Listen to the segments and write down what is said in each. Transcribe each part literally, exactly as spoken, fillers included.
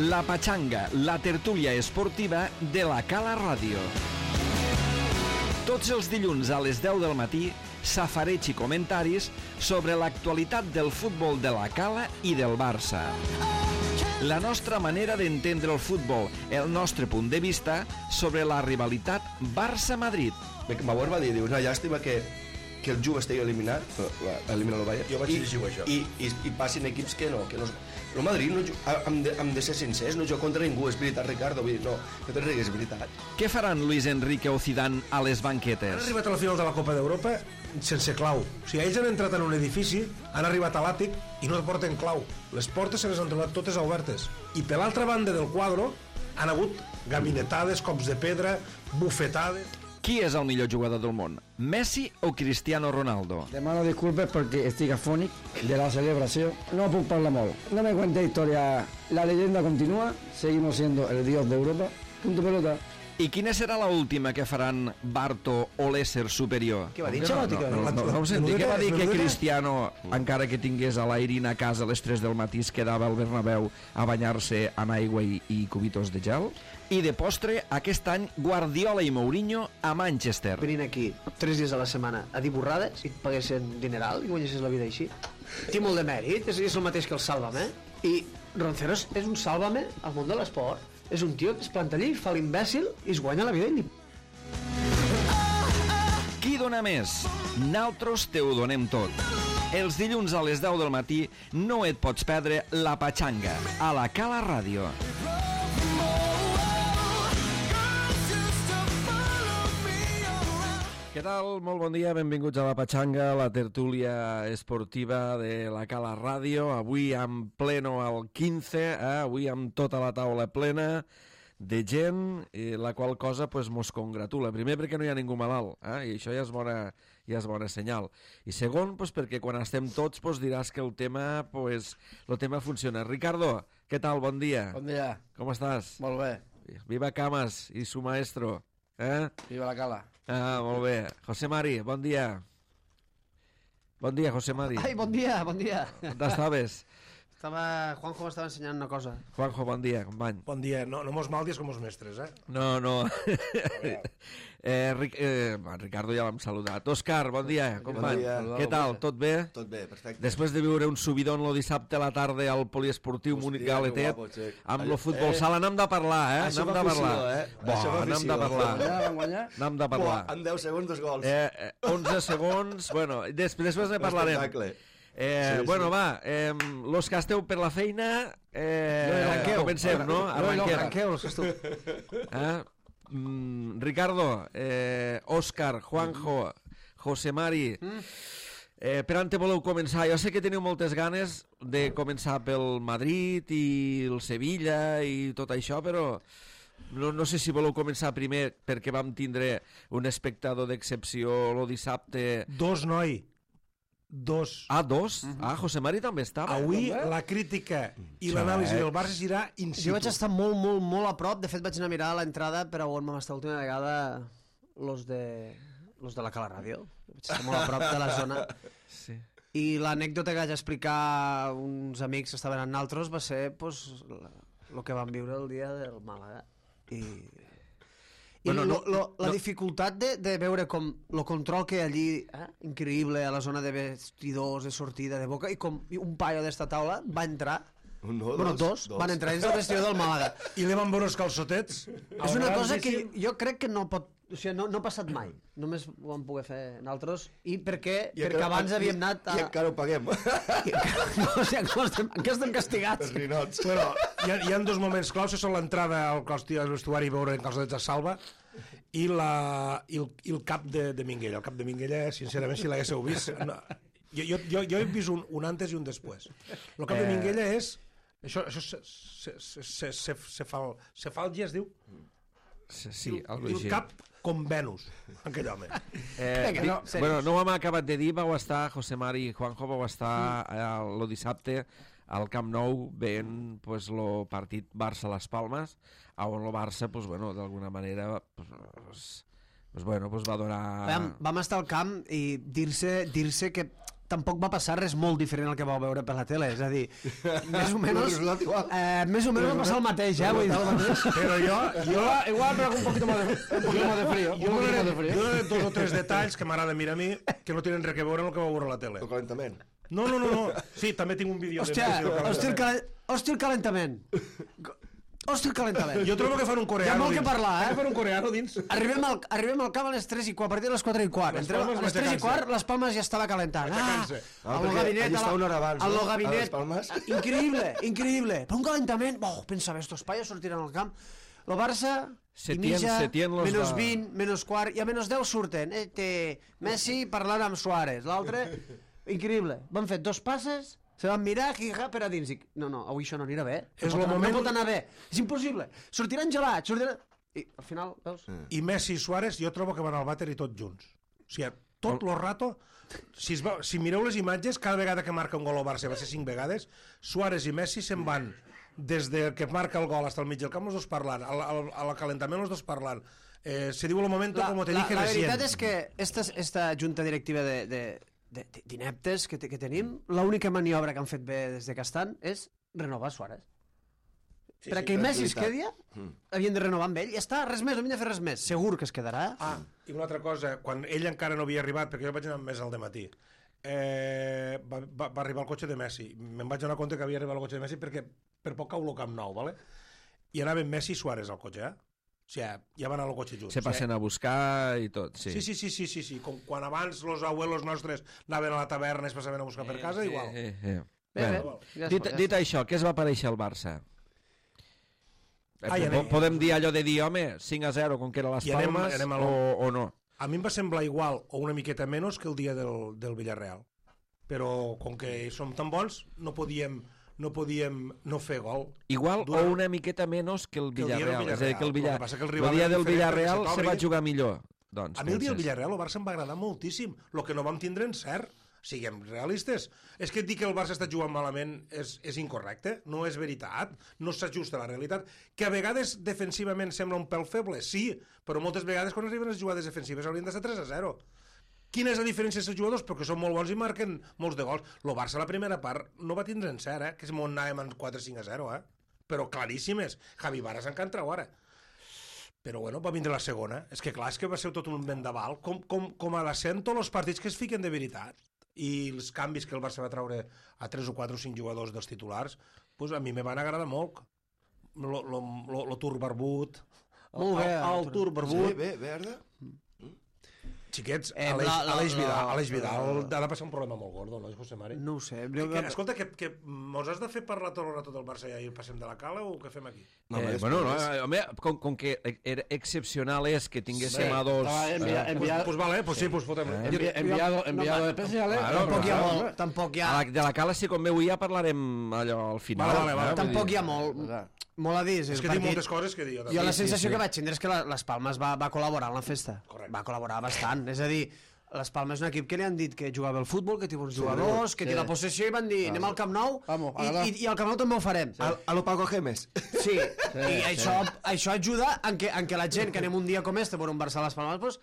La Pachanga, la tertúlia esportiva de la Cala Ràdio. Tots els dilluns a les deu del matí, safareig i comentaris sobre l'actualitat del futbol de la Cala i del Barça. La nostra manera d'entendre el futbol, el nostre punt de vista sobre la rivalitat Barça-Madrid. Bauer va dir, diu, una llàstima que, que el Juve estigui eliminat, elimina el Bayern, jo vaig llegir això. I, i, i passin equips que no, que no... El Madrid, no, hem, de, hem de ser sincers, no juga contra ningú, és veritat, Ricardo, vull dir, no, no te rigues, és veritat. Què faran Luis Enrique o Zidane a les Han banquetes? arribat a la final de la Copa d'Europa sense clau. O sigui, ells han entrat en un edifici, han arribat a l'àtic i no porten clau. Les portes se les han trobat totes obertes. I per l'altra banda del quadre han hagut gabinetades, cops de pedra, bufetades... Qui és el millor jugador del món? Messi o Cristiano Ronaldo? Demano disculpes perquè estic afònic de la celebració. No puc parlar molt. No me cuente historia. La leyenda continúa. Seguimos siendo el dios de Europa. Punto pelota. I quina serà la última que faran Barto o l'ésser superior? Què va dir? No, no, no, no, no, no ho senti. Què va dir que Menudeta? Cristiano, encara que tingués a l'Airin a casa a les tres del matí, es quedava al Bernabéu a banyar-se en aigua i, i cubitos de gel? I de postre, aquest any, Guardiola i Mourinho a Manchester. Venint aquí tres dies a la setmana a dir borrades i et paguessin dineral i guanyessis la vida així. Té molt de mèrit, és, és el mateix que el Sálvame. I Ronceros és un Sálvame al món de l'esport. És un tio que es planta allí, fa l'imbècil i es guanya la vida i li... Qui dona més? Naltros te ho donem tot. Els dilluns a les deu del matí no et pots perdre La Pachanga a la Cala Ràdio. Què tal? Molt bon dia, benvinguts a La Pachanga, la tertúlia esportiva de la Cala Ràdio. Avui en pleno al quinze, eh? Avui amb tota la taula plena de gent, eh, la qual cosa pues, mos congratula. Primer perquè no hi ha ningú malalt, eh? I això ja és bona, ja és bona senyal. I segon, pues, perquè quan estem tots pues, diràs que el tema, pues, el tema funciona. Ricardo, què tal? Bon dia. Bon dia. Com estàs? Molt bé. Viva Camas i su maestro. Eh? Viva la Cala. Ah, molt bé. José Mari, bon dia. Bon dia, José Mari. Ai, bon dia, bon dia. On estaves? Estava... Juanjo m'estava ensenyant una cosa. Juanjo, bon dia, company. Bon dia, no, no mos maldies com els mestres, eh? No, no. eh, Ric, eh, Ricardo ja l'hem saludat. Òscar, bon dia, company. Bon dia. Què tal, tot bé? Tot bé, perfecte. Després de viure un subidon el dissabte a la tarda al poliesportiu Hòstia, Múnich que Galetet, guapo, Xec. amb el Allò- futbol eh, sala, n'hem de parlar, eh? això N'hem fa de parlar. afició, eh? Bo, Això fa n'hem de afició. parlar. Ja van guanyar? N'hem de parlar. Buah, en deu segons dos gols. Eh, eh, onze segons, bueno, des, després ne parlarem. Espectacle. Eh, Sí, bueno, sí. va, eh, los que esteu per la feina, eh, arranqueu. comencem, no? Arranquem. Arranqueu, els que tu. Eh? Mm, Ricardo, eh, Òscar, Juanjo, José Mari, eh, per on te voleu començar? Jo sé que teniu moltes ganes de començar pel Madrid i el Sevilla i tot això, però no, no sé si voleu començar primer perquè vam tindre un espectador d'excepció el dissabte. Dos, noi. Dos. Ah, dos? Ah, José Mari també estava. Avui la crítica i l'anàlisi del Barça serà in situ. Jo vaig estar molt, molt, molt a prop. De fet, vaig anar a mirar a l'entrada per a on vam estar l'última vegada los de, los de la Cala Ràdio. Vaig estar molt a prop de la zona. Sí. I l'anècdota que vaig explicar a uns amics que estaven en altres va ser pues, el que vam viure el dia del Màlaga. I, i Bueno, lo, no- lo, la no- dificultat de, de veure com el control que hi ha allí, eh? Increïble, a la zona de vestidors, de sortida, de boca, i com un paio d'esta taula va entrar, No, bueno, dos, dos. van entrar dins del vestidor del Màlaga. I li van veure els calçotets. És una cosa que jo crec que no pot... O sigui, no, no ha passat mai. Només ho vam poder fer nosaltres. I perquè, I perquè encara- abans i- havíem anat a... I encara ho paguem. I encara... No, o sigui, encara estem, encara estem castigats. Els ninots. Bueno, hi ha, hi ha dos moments claus, que són l'entrada al costiu al vestuari i veure en calçotets a Salva i, la, i, el, i el cap de, de Minguella. El cap de Minguella, sincerament, si l'haguéssiu vist... No, jo, jo, jo, jo he vist un, un antes i un després. El cap de Eh. Minguella és... Això, això se, se, se, se, se, se, fa, se falgia, es diu? Sí, sí, I algo el així. cap com Venus, aquell home. Eh, Vinga, di- no, serios. bueno, no ho hem acabat de dir, vau estar, José Mari i Juanjo, vau estar eh, el dissabte al Camp Nou veient pues, el partit Barça-Las Palmes, on el Barça, pues, bueno, d'alguna manera, pues, pues, bueno, pues, va donar... Vam, vam estar al camp i dir-se dir-se que tampoc va passar res molt diferent al que vau veure per la tele, és a dir, més o menys eh, més o menys va passar el mateix, eh, vull dir. Però jo, jo, Igual, pero con un poquito más de, un poquito más de frío. jo Un poquito más de donaré, frío. jo donaré dos o tres detalls que m'agrada mirar a mi que no tenen res a veure amb el que va veure a la tele. El calentament. No, no, no, no. Sí, també tinc un vídeo Hòstia, de Messi del hòstia, el, calentament. calen... hòstia, el calentament. Hòstia, el calentament. Jo trobo que fan un Hi coreano ha molt que dins. parlar, eh? Fan un coreano dins. Arribem al, arribem al camp a les tres i quart, a partir de les quatre i quart. Les Entrem, Palmes a les tres i matxacant-se. quart, les Palmes ja estava calentant. Ah, Matxacant-se. Ah, al perquè gabinet... allí a la- està una hora abans, al no? gabinet... A les Palmes. Increïble, increïble. Però un calentament... Oh, pensava, estos paios sortiran al camp. El Barça... Setién- i mitja, Setién los menys va- vint, menys quart, i a menys deu surten. Eh, té Messi parlant amb Suárez. L'altre, increïble. Van fer dos passes, se van mirar, jija, per a dins. Dic, no, no, avui això no anirà bé. És no, lo pot anar, moment- no pot anar bé. És impossible. Sortiran gelats, sortiran... I al final, veus? I Messi i Suárez jo trobo que van al vàter i tots junts. O sigui, tot el rato... Si, es va, si mireu les imatges, cada vegada que marca un gol al Barça, va ser cinc vegades, Suárez i Messi se'n van des de que marca el gol fins al mig del camp, els dos parlant, al, al, al calentament els dos parlant. Eh, se diu el moment La, com te la, dije la recién. veritat és que esta, esta junta directiva de, de, de, d'ineptes que, te- que tenim, l'única maniobra que han fet bé des de que estan és renovar Suárez. Sí, per a sí, que és Messi es veritat. quedi, havien de renovar amb ell, ja està, res més, no havien de fer res més. Segur que es quedarà. Ah, i una altra cosa, quan ell encara no havia arribat, perquè jo vaig anar més al dematí, eh, va, va, va arribar el cotxe de Messi. Me'n vaig donar compte que havia arribat el cotxe de Messi perquè per poc cau el Camp Nou, ¿vale? I anaven Messi i Suárez al cotxe, eh? O sigui, ja van anar al cotxe junts. Se passen a buscar i tot, sí. Sí, sí, sí, sí, sí, sí. Com quan abans los abuelos nostres anaven a la taverna i es passaven a buscar per casa, igual. Eh, eh. Bé, bé. Bueno, Ja es dit, pot, ja dit això, què es va aparèixer al Barça? Ah, Eh, i po- anem- Podem dir allò de dir, home, cinc a zero, com que era les I anem- Palmes, anem a lo- o, o no? A mi em va semblar igual o una miqueta menys que el dia del, del Villarreal. Però com que som tan bons, no podíem no podíem no fer gol. Igual Durant- o una miqueta menys que el Que el dia del Villarreal. És a dir, que el, Villarreal. Villar... Lo que passa que el el, rival dia era del diferent Villarreal perquè se se va t'obri. jugar millor. Doncs, A mi el dia del penses. Villarreal, el Barça em va agradar moltíssim. El que no vam tindre en cert. Siguem realistes. És que dir que el Barça està jugant malament és, és incorrecte, no és veritat, no s'ajusta a la realitat. Que a vegades defensivament sembla un pèl feble, sí, però moltes vegades quan arriben les jugades defensives haurien d'estar tres a zero. Quina és la diferència dels jugadors? Perquè són molt bons i marquen molts de gols. El Barça a la primera part no va tindre en cert, eh? Que si m'ho anàvem en quatre cinc a zero, eh? Però claríssimes. Javi Varas encara ara. Però bueno, va vindre la segona. És que clar, és que va ser tot un vendaval. Com, com, com a l'accent tots els partits que es fiquen de veritat. I els canvis que el Barça va treure a tres o quatre o cinc jugadors dels titulars, pues a mi me van agradar molt. Lo, lo, lo, lo Tur Barbut, Molt bé, el, el, el Tur Sí, Barbut, bé, verda. xiquets, Eh, Aleix, la- la- Aleix Vidal, la- Aleix Vidal ha de passar un problema molt gordo, no, José Mari? No ho sé. Que, escolta, que, que mos has de fer parlar tot el rato del Barça i ahir passem de la cala o què fem aquí? No, eh, home, bueno, no, després- eh, home, com, com que era excepcional és que tinguéssim Bé, a dos... estava envia- eh, envia- Pues, pues vale, pues sí, pues fotem. Eh. Envi- enviado, enviado especial, eh? Claro, Tampoc hi ha clar. molt, tampoc hi ha... a la, de la cala, si com bé avui ja parlarem allò al final. Vale, vale, vale. eh, vull Tampoc dir- hi ha molt, molt a dir. És que tinc moltes coses que dir. Jo, Jo també. la Sí, sensació sí. que vaig tindre és que la, les Palmes va, va col·laborar en la festa. Correcte. Va col·laborar bastant. És a dir, les Palmes és un equip que li han dit que jugava al futbol, que té bons jugadors, que sí. té la possessió i van dir anem al Camp Nou Vamos, i, ara. i, i al Camp Nou també ho farem. A, a lo Paco Gemes. Sí, i això, això ajuda en que, en que la gent que anem un dia com este per un Barça a les Palmes pues,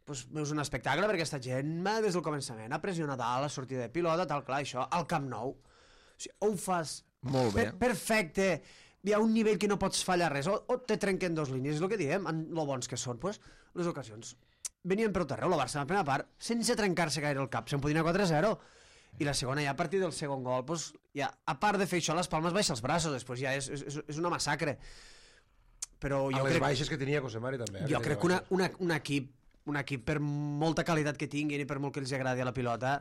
pues, és un espectacle perquè aquesta gent va, des del començament ha pressionat a la sortida de pilota, tal, clar, això al Camp Nou. O sigui, o ho fas Molt bé. per, perfecte, hi ha un nivell que no pots fallar res, o, o te trenquen dos línies, és el que diem, en lo bons que són, pues, les ocasions venien per tot arreu, el Barça en la primera part, sense trencar-se gaire el cap, se'n podia anar quatre a zero, i la segona ja a partir del segon gol, pues, ja, a part de fer això, les Palmes baixa els braços, després ja és, és, és una massacre. Però A jo les crec, baixes que tenia José Mari també. Eh? jo crec que una, una, un equip, un equip per molta qualitat que tinguin i per molt que els agradi a la pilota,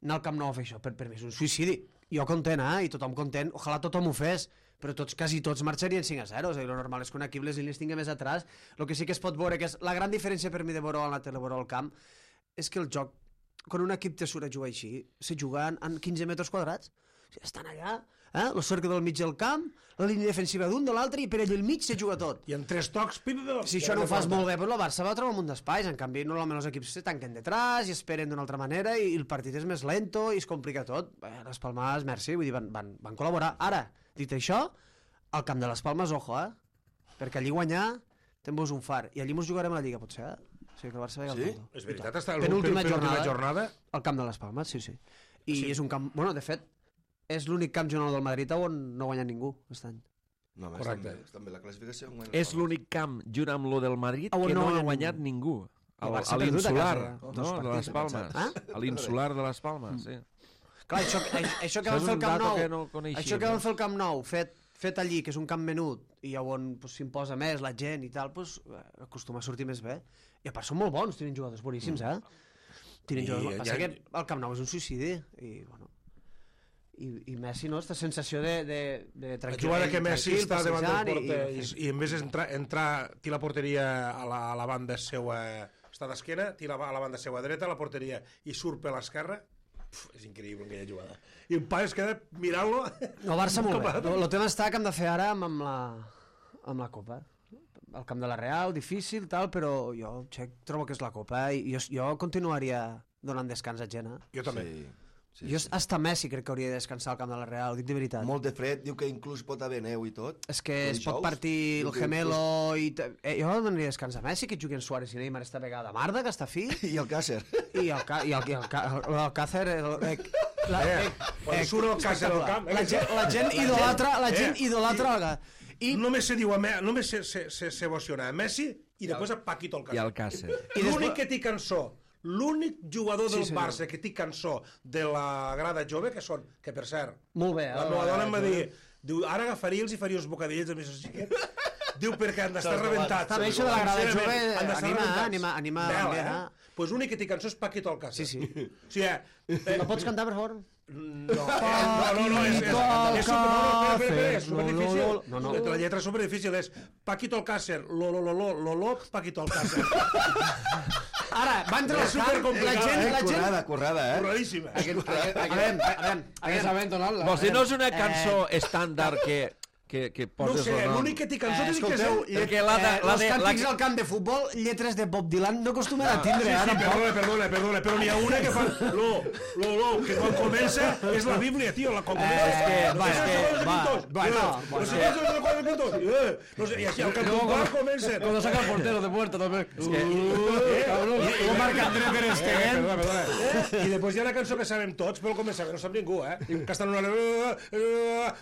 anar al Camp Nou a fer això, per, per mi és un suïcidi. Jo content, eh? I tothom content, ojalà tothom ho fes, però tots, quasi tots marxarien cinc a zero, és a dir, el normal és que un equip les línies tingui més atrás. El que sí que es pot veure, que és la gran diferència per mi de veure a la tele, veure al camp, és que el joc, quan un equip te surt a jugar així, se juga en, en quinze metres quadrats. O sigui, estan allà, eh? el cercle del mig del camp, la línia defensiva d'un, de l'altre, i per allà al mig se juga tot. I en tres tocs, pim, pim, Si això no ho fas molt bé, doncs el Barça va trobar un munt d'espais. En canvi, normalment els equips se tanquen detrás i esperen d'una altra manera i el partit és més lento i es complica tot. Bé, les Palmes, merci, vull dir, van, van, van col·laborar. Ara, dit això, al camp de les Palmes, ojo, eh? Perquè allí guanyar, te'n un far. I allí mos jugarem a la Lliga, potser, eh? O sigui que el Barça ve al Sí? Tondo. És veritat, està el Penúltima penúltima jornada. jornada. Al camp de les Palmes, sí, sí. I sí. és un camp... Bueno, de fet, és l'únic camp general del Madrid on no ha guanyat ningú aquest any. No, home, correcte. També, també la classificació... És l'únic camp, junt amb lo del Madrid, que no, no ha guanyat ningú. A l'Insular, no? De les Palmes. A l'Insular de les Palmes, sí. Clar, això, això que van fer el Camp Nou, això que van fer el Camp Nou, fet, fet allí, que és un camp menut, i on pues, s'imposa més la gent i tal, pues, acostuma a sortir més bé. I a part són molt bons, tenen jugadors boníssims, eh? Tenen jugadors... Passa que el Camp Nou és un suïcidi, i bueno... I, i Messi, no? Aquesta sensació de, de, de tranquil... La jugada que Messi està davant del porter i, i, i en vez d'entrar, entrar, tira la porteria a la, a la banda seva, està d'esquena, tira a la banda seva dreta, a la porteria, i surt per l'esquerra, és increïble aquella jugada. I un pa es queda mirant-lo... El Barça molt bé. El, el tema està que hem de fer ara amb, amb, la, amb la Copa. El camp de la Real, difícil, tal, però jo Xec, trobo que és la Copa i jo, jo continuaria donant descans a gent. Eh? Jo també. Sí. Sí, jo sí. hasta Messi crec que hauria de descansar al camp de la Real, ho dic de veritat. Molt de fred, diu que inclús pot haver neu i tot. És que es pot partir el gemelo i... Eh, jo donaria descans a Messi, que juguen Suárez i Neymar esta vegada. Marda, que està fi. I el Càcer. I el, ca... I el, i el, ca... el Càcer... El, eh, la, eh, quan surt el Càcer al camp... La gent, la gent idolatra... La gent idolatra... I només se diu, només s'emociona a Messi i després a Paquito el Càcer. I el Càcer. L'únic que té cançó, l'únic jugador del sí, Barça que té cançó de la grada jove, que són, que per cert, molt bé, la meva dona em va dir, diu, ara agafaria els i faria uns bocadills amb aquests xiquets. Diu, perquè han d'estar rebentats. Està bé, això de la grada jove, anima, anima, anima. Doncs pues l'únic que té cançó és Paquito el Càcer. Sí, sí. O sigui, eh, no pots cantar, per favor? No, no, no, és, és, és super, és super difícil. No, no. La lletra és super difícil, és Paquito el Càcer, lo, lo, lo, lo, lo, lo, Paquito el Càcer. Ara, va entrar el camp, la gent... Eh? Currada, currada, eh? Curradíssima. A veure, a veure... Vols dir, no és una cançó estàndard que... Que, que poses no sé, l'únic que té cançó eh, té que ser... Perquè la de, la els de, càntics la... al camp de futbol, lletres de Bob Dylan, no acostumen a tindre, ah, ara. Sí, sí, perdona, perdona, perdona, però n'hi ha una que fa... Lo, lo, lo, que quan comença és la Bíblia, tio, la quan comença... És que, va, és que, va, va, no, no sé què és els quatre puntos. No sé, i així, al cantuar comença... Cuando saca el portero de puerta, també. És que... Cabrón, lo marca André Ter Stegen. Perdona, perdona. I després hi ha una cançó que sabem tots, però al començament no sap ningú, eh? Que estan una...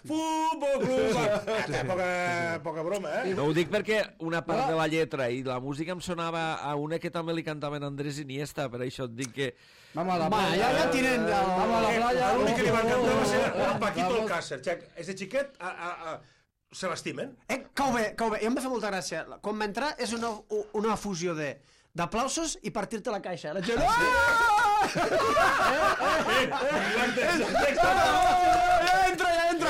Futbol Club... Poca, poca broma, eh? No ho dic perquè una part de la lletra i la música em sonava a una que també li cantaven Andrés Iniesta, per això et dic que... Vamos a la playa. Va, ja, ja tienen... Vamos a la playa. L'únic que li va cantar va ser el Paquito el Càcer. És de xiquet, a, a, a, se l'estimen. Eh, cau bé, cau bé. I em va fer molta gràcia. Quan va entrar és una, una fusió de d'aplausos i partir-te la caixa. La gent... Entra, ja entra.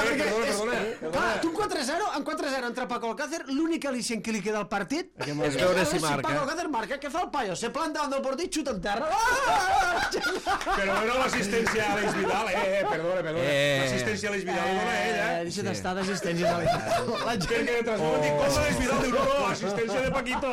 Clar, tu en quatre zero, en quatre zero entra Paco Alcácer, l'únic al·licient que li queda al partit és veure si marca. Paco Alcácer marca, què fa el paio? Se planta davant del porter i xuta en terra. Però no l'assistència a l'Eix Vidal, eh, eh, perdona, perdona. L'assistència a l'Eix Vidal ho dona ell, eh? Deixa't estar d'assistència a l'Eix Vidal. La gent que transforma dic, com l'Eix Vidal diu, no, no, assistència de Paquito.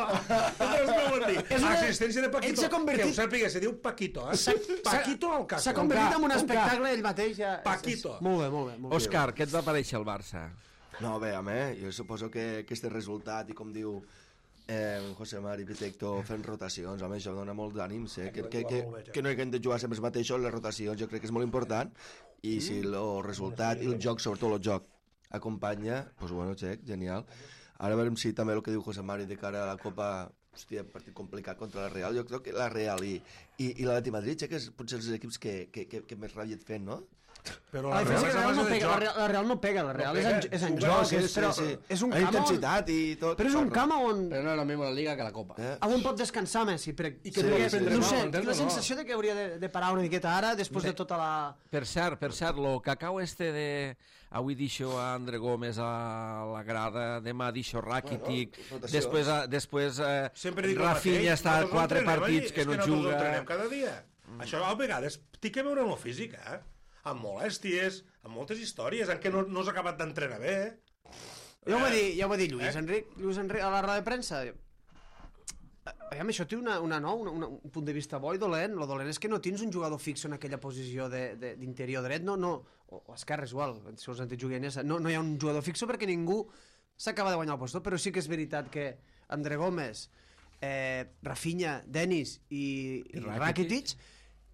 Assistència de Paquito, que ho sàpiga, se diu Paquito, eh? Paquito al cas. S'ha convertit en un espectacle ell mateix. Paquito. Molt bé, molt bé. Òscar, què et va parèixer el Barça? No, bé, home, jo suposo que aquest resultat, i com diu eh, José Mari Pitecto, fent rotacions, home, això dona molt d'ànims, eh? Que, que, que, que no hi hem de jugar sempre els mateixos, les rotacions jo crec que és molt important, i si el resultat i el joc, sobretot el joc, acompanya, doncs bueno, xec, genial. Ara veurem si també el que diu José Mari de cara a la Copa, hòstia, partit complicat contra la Real, jo crec que la Real i, i, i la de Madrid, que és potser els equips que, que, que, que més ràbia et fent, no? Però la, la, Real no pega, la, Real, la Real no pega, la Real no és, en, és en joc, sí, és, però sí, sí. és un camp intensitat i tot. Però és un camp on... Però no és la misma la Liga que la Copa. Eh? On pot descansar Messi. Per... I que sí, sí, no sé, tinc la sensació de que hauria de, de parar una miqueta ara, després de tota la... Per cert, per cert, lo cacau este de... Avui deixo a André Gómez a la grada, demà deixo Rakitic, bueno, després, a, després eh, Rafinha està a quatre partits que no juga. És que nosaltres entrenem cada dia. Això a vegades té que veure amb la física, eh? Amb molèsties, amb moltes històries, en què no, no has acabat d'entrenar bé. Ja ho va dir, ja ho va dir Lluís, eh? Enric, Lluís Enric a la roda de premsa. Aviam, això té una, una, no, una, una, un punt de vista bo i dolent. Lo dolent és que no tens un jugador fix en aquella posició d'interior dret, no, no, o, o esquerra és igual, si us antic juguent, no, no hi ha un jugador fix perquè ningú s'acaba de guanyar el posto, però sí que és veritat que André Gómez, eh, Rafinha, Denis i, i Rakitic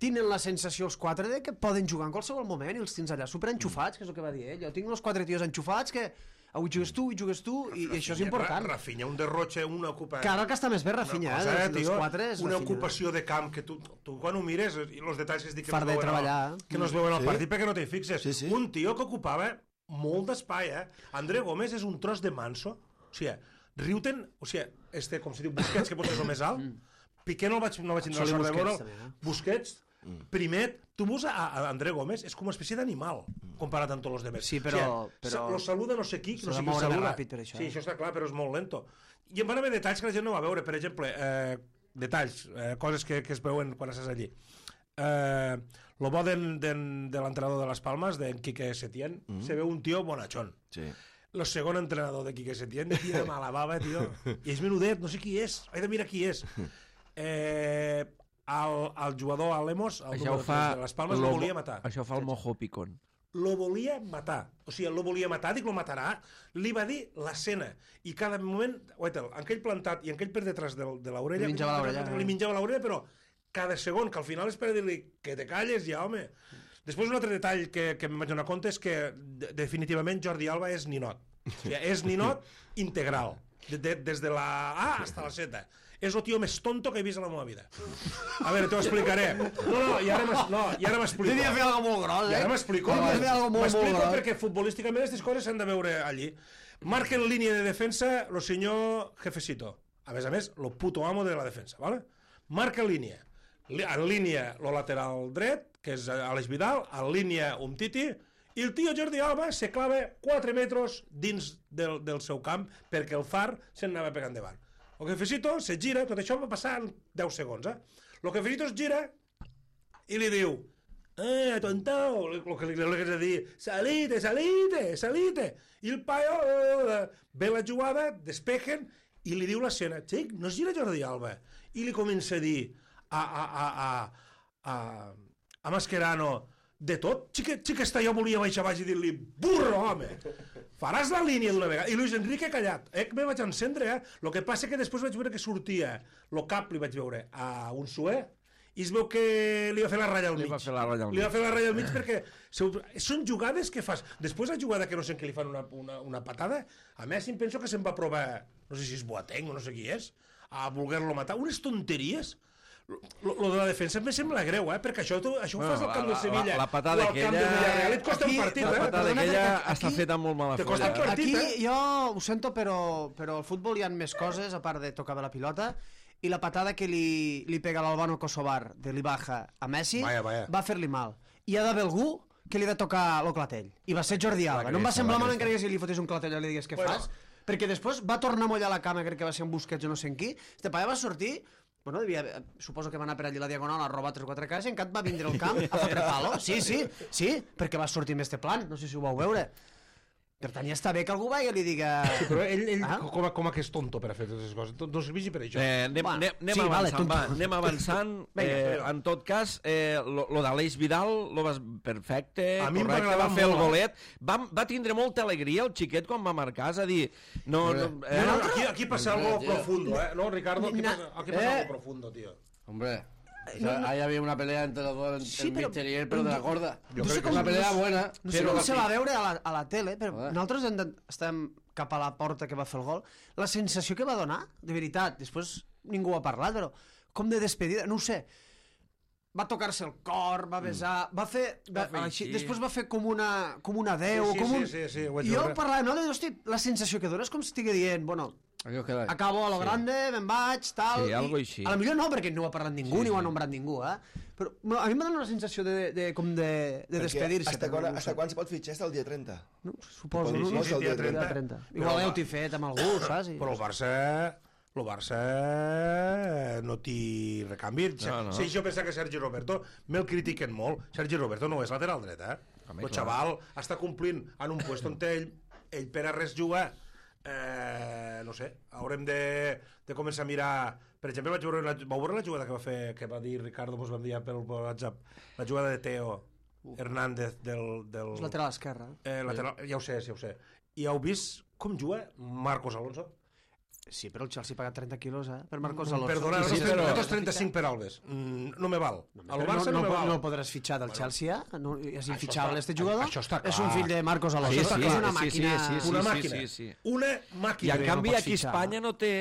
tenen la sensació els quatre de que poden jugar en qualsevol moment i els tens allà superenxufats, que és el que va dir ell. Jo tinc els quatre tios enxufats que avui jugues tu, avui jugues tu, i, i això és important. Rafinha, un derroche, una ocupació... Cada que està més bé Rafinha, eh, dels, dels quatre és una Rafinha. Ocupació de camp que tu, tu quan ho mires, i els detalls que es dic que, Far no de es veuen, treballar. al, que no es veuen al Sí. partit perquè no t'hi fixes. Sí, sí. Un tio que ocupava molt d'espai, eh? André Gómez és un tros de manso. O sigui, riuten... O sigui, este, com se diu, Busquets, que potser és el més alt. Piqué no el vaig, no vaig tindre la sort de veure. Busquets, primer, tu veus a, a André Gómez, és com una espècie d'animal comparat amb tots els demés. Sí, però... O sigui, però... lo saluda no sé qui, no sé qui moure més saluda. ràpid per això. Sí, això està clar, però és molt lento. I en van haver detalls que la gent no va veure. Per exemple, eh, detalls, eh, coses que, que es veuen quan estàs allí. Eh, lo bo de, de, de l'entrenador de les Palmes, d'en Quique Setién, mm -hmm. se veu un tio bonachón. Sí. El segon entrenador de Quique Setién tira mala bava, tio. I és menudet, no sé qui és. He de mirar qui és. Eh, el, el jugador a Lemos, el Això ho número fa tres de les Palmes, lo- lo volia matar. Això fa el Mojo Picón. Lo volia matar. O sigui, lo volia matar, dic, lo matarà. Li va dir l'escena. I cada moment, oita, en aquell plantat i en aquell per detrás de, de l'orella... Li menjava l'orella. Li menjava l'orella, però cada segon, que al final és per dir-li que te calles ja, home. Després un altre detall que, que em vaig donar compte és que de, definitivament Jordi Alba és ninot. O sigui, és ninot integral. De, de, des de la A hasta la Z. És el tio més tonto que he vist a la meva vida. A veure, t'ho explicaré. No, no, i ara m'explico. No, i ara m'explico. Devia fer alguna molt gros, eh? I ara m'explico. Devia fer alguna molt, molt M'explico gros. perquè futbolísticament aquestes coses s'han de veure allí. Marca en línia de defensa el senyor Jefecito. A més a més, el puto amo de la defensa, ¿vale? Marca en línia. En línia el lateral dret, que és Aleix Vidal, en línia Umtiti, i el tio Jordi Alba se clava quatre metres dins del, del seu camp perquè el Far se'n anava pegant davant. El Jefecito se gira, tot això va passar en deu segons, eh? El Jefecito es gira i li diu eh, tontao, el que li ha de dir salite, salite, salite, i el paio eh, ve la jugada, despejen i li diu l'escena, xic, no es gira Jordi Alba, i li comença a dir a, a, a, a, a, a Mascherano de tot, xica, xica està, jo volia baixar baix i dir-li burro, home, faràs la línia d'una vegada. I Luis Enrique callat, eh, que me vaig encendre, eh? El que passa que després vaig veure que sortia, el cap li vaig veure a un suer, i es veu que li va fer la ratlla al mig. Li va fer la ratlla al mig. Li va fer la ratlla al mig perquè són jugades que fas. Després la jugada que no sé en què li fan una, una, una patada, a Messi em penso que se'n va provar, no sé si és Boateng o no sé qui és, a voler-lo matar. Unes tonteries. Lo, lo de la defensa em sembla greu, eh? Perquè això, tu, això ho Bueno, fas al camp la- del Sevilla. la- la patada o al camp aquella- del Villarreal, et costa Aquí- un partit, La eh? patada perdona, aquella perquè està aquí- feta amb molt mala Te folla. costa el eh? partit. Aquí jo ho sento, però, però al futbol hi ha més coses, a part de tocar bé la pilota, i la patada que li, li pega l'Albano Kosovar de l'Ibaja a Messi Vaya, vaya. va fer-li mal. I hi ha d'haver algú que li ha de tocar el clatell. I va ser Jordi Alba. La No em va cresta, semblar la mal cresta. encara que si li fotés un clatell i li digués què Bueno. fas, perquè després va tornar a mullar la cama, crec que va ser un Busquets o no sé en qui. Este paia va sortir, bueno, devia, suposo que va anar per allí a la Diagonal a robar tres o quatre cases i encat va vindre al camp a fotre palo. Sí, sí, sí, perquè va sortir amb este plan, no sé si ho vau veure. Per tant, ja està bé que algú vagi i li diga... Sí, però ell, ell Ah? com, a, com a que és tonto per a fer totes aquestes coses. No servigi per això. Eh, anem, Bueno, anem, anem sí, vale, avançant, tonto. va, anem avançant. Vinga, eh, vinga. en tot cas, eh, lo, lo d'Aleix Vidal lo vas perfecte, A mi em va correcte, agradar va fer el molt, eh? golet. Va, va tindre molta alegria el xiquet quan va marcar, és a dir... No, no, eh, No, no, aquí, aquí passa algo tío. profundo, ¿eh? No, Ricardo, aquí Na- pasa, aquí pasa eh. algo profundo, tío. Hombre, o sea, ahí había una pelea entre los dos, Sí, el pero- Mister y él, pero de la gorda. Yo No sé creo que com- Una pelea buena. No sé pero com se va veure a la, a la tele, però Joder. nosaltres hem de, estem cap a la porta que va fer el gol. La sensació que va donar, de veritat, després ningú ha parlat, però com de despedida, no ho sé. Va tocar-se el cor, va besar, va fer... Va, Va fer així, així. després va fer com una, com un adeu, Sí, sí, com sí, un... sí, sí, ho vaig I jo veure. parlava, no? Hosti, la sensació que dona és com si estigui dient, bueno, Aquí os quedáis. acabo a lo grande, me'n vaig, tal... Sí, i algo així. A la millor no, perquè no ho ha parlat ningú, Sí, ni ho ha sí. nombrat ningú, eh? Però bueno, a mi m'ha donat una sensació de, de, com de, de despedir-se. Hasta però quan, no ho hasta sé. quan se pot fitxar? Hasta el dia trenta. No, suposo, Sí, no? sí, no? sí, el dia trenta. trenta. Però Igual va. heu-t'hi fet amb algú, saps? I... Però el Barça... El Barça no t'hi recanvi. No, no. Sí, jo penso que Sergi Roberto me'l critiquen molt. Sergi Roberto no és lateral dret, eh? Home, El clar. xaval està complint en un puesto on ell, ell per a res juga. Eh, no sé, haurem de, de començar a mirar... Per exemple, vaig veure la, vau veure la jugada que va fer, que va dir Ricardo, mos va enviar pel WhatsApp, la jugada de Teo Hernández del... del És lateral esquerra. eh, lateral, ja ho sé, ja ho sé. I heu vist com juga Marcos Alonso? Sí, però el Chelsea paga trenta quilos, eh? Per Marcos Alonso. Perdona, sí, nosaltres trenta-cinc per Alves. Mm, no me val. Al Barça no, no, me val. no el podràs fitxar del Chelsea, eh? No, és infitxable, este jugador. Això està clar. És un fill de Marcos Alonso. Sí, Això sí, és una sí, màquina... sí, sí, sí, una sí, màquina. sí, sí. Una I màquina. en canvi no pots aquí a fitxar. Espanya no té...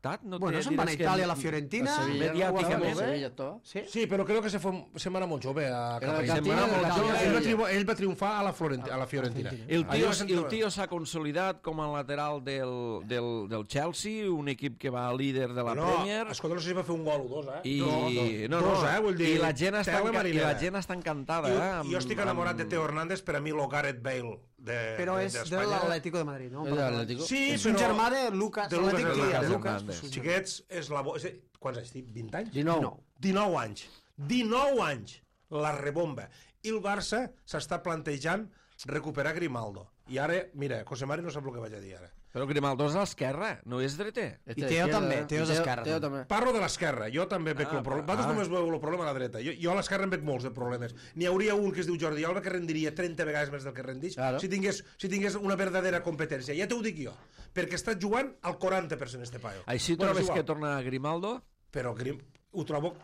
Tant, no Bueno, té, se'n van a diràs que Itàlia, a la Fiorentina... mediàticament. Sevilla, todo. Sí? Sí, però crec que se, fue, se'n va anar molt jove a Era de Catalunya. Catina, Se'n va anar molt de jove. Catina, Ell, va sí. triomfar, ell va triomfar a la, Florenti, a la Fiorentina. El Allà tio, va ser- el tio s'ha consolidat com a lateral del, del, del Chelsea, un equip que va líder de la no, Premier. Escolta, no sé si va fer un gol o dos, eh? I, no, no, dos, no, eh? Vull dir, i la gent està, tela enca... I marinera. la gent està encantada. Jo, eh? amb- jo estic enamorat amb- de Teo Hernández, per a mi lo Gareth Bale de, Però de, és de d'Espanya. l'Atlético de Madrid, no? És de l'Atlético. Sí, És un però... germà de Lucas. de Lucas l'Atlètic, Hernández. de Lucas. Hernández. Xiquets, és la... Bo... És... Quants anys tinc? vint anys? dinou. dinou anys. dinou anys. La rebomba. I el Barça s'està plantejant recuperar Grimaldo. I ara, mira, José Mari no sap el que vaig a dir ara. Però Grimaldo és a l'esquerra, no és dreter. I Teo també, Teo és esquerra. Teo també. Parlo de l'esquerra, jo també veig Ah, el problema. ah. Vosaltres només veieu el problema a la dreta. Jo, jo a l'esquerra en veig molts de problemes. N'hi hauria un que es diu Jordi Alba que rendiria trenta vegades més del que rendix Claro. si, tingués, si tingués una verdadera competència. Ja t'ho dic jo. Perquè està jugant al quaranta per cent este paio. Així Bueno, trobes és igual. que torna Grimaldo? Però Grim, ho trobo...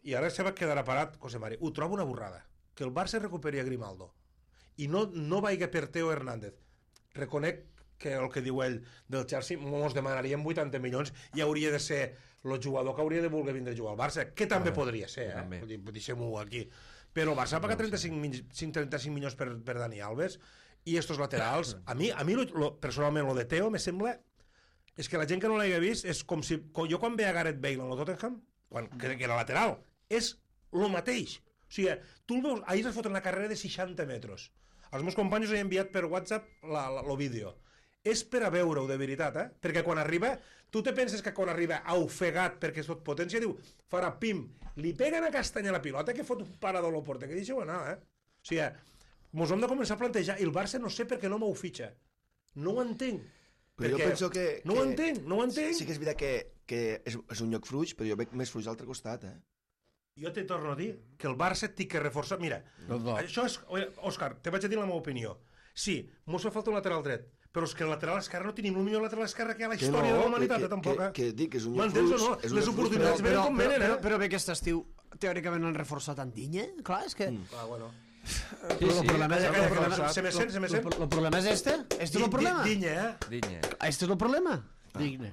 I ara se va quedar parat, José Mari. Ho trobo una borrada. Que el Barça recuperi a Grimaldo. I no, no vaiga per Teo Hernández. Reconec que el que diu ell del Chelsea mos demanaríem vuitanta milions i hauria de ser el jugador que hauria de voler vindre a jugar al Barça, que també podria ser, eh? també. Vull dir, deixem-ho aquí. Però el Barça ha pagat trenta-cinc, mi- trenta-cinc milions per, per Dani Alves i estos laterals, a mi, a mi lo, lo, personalment, lo de Teo me sembla... És que la gent que no l'hagi vist és com si... com jo quan veia Gareth Bale en el Tottenham, quan, que, que era lateral, és lo mateix. O sigui, tu el veus, ahir es fot una carrera de seixanta metres. Els meus companys he enviat per WhatsApp la, la, lo vídeo. És per a veure-ho de veritat, eh? Perquè quan arriba, tu te penses que quan arriba ofegat perquè és tot potència, diu, farà pim, li peguen a castanya la pilota que fot un parador a la porta, que deixeu anar, eh? O sigui, mos hem de començar a plantejar, i el Barça no sé per què no m'ho fitxa. No ho entenc. Però jo Perquè penso que... No ho que- entenc, no ho entenc. Sí que és veritat que, que és, és un lloc fluix, però jo veig més fluix a l'altre costat, eh? Jo te torno a dir que el Barça té que reforçar... Mira, Los dos. això és... Òscar, te vaig a dir la meva opinió. Sí, mos fa falta un lateral dret, però és que el lateral esquerre no tenim el millor lateral esquerre que hi ha a la Que història no, de la humanitat, que- eh, tampoc, que- eh? que dic que és un lloc M'entens o fluix, no? és un Les lloc fluix, oportunitats Però, venen però, com però, venen, però, eh? però bé que aquest estiu, teòricament, han reforçat Andinya. Clar, és que... Ah, bueno. Però el problema és... Calla, el calla, problema- calla, se me sent, se me sent. El el problema és este? Este és el problema? Dinya, eh? Digne. Este és el problema? Digne.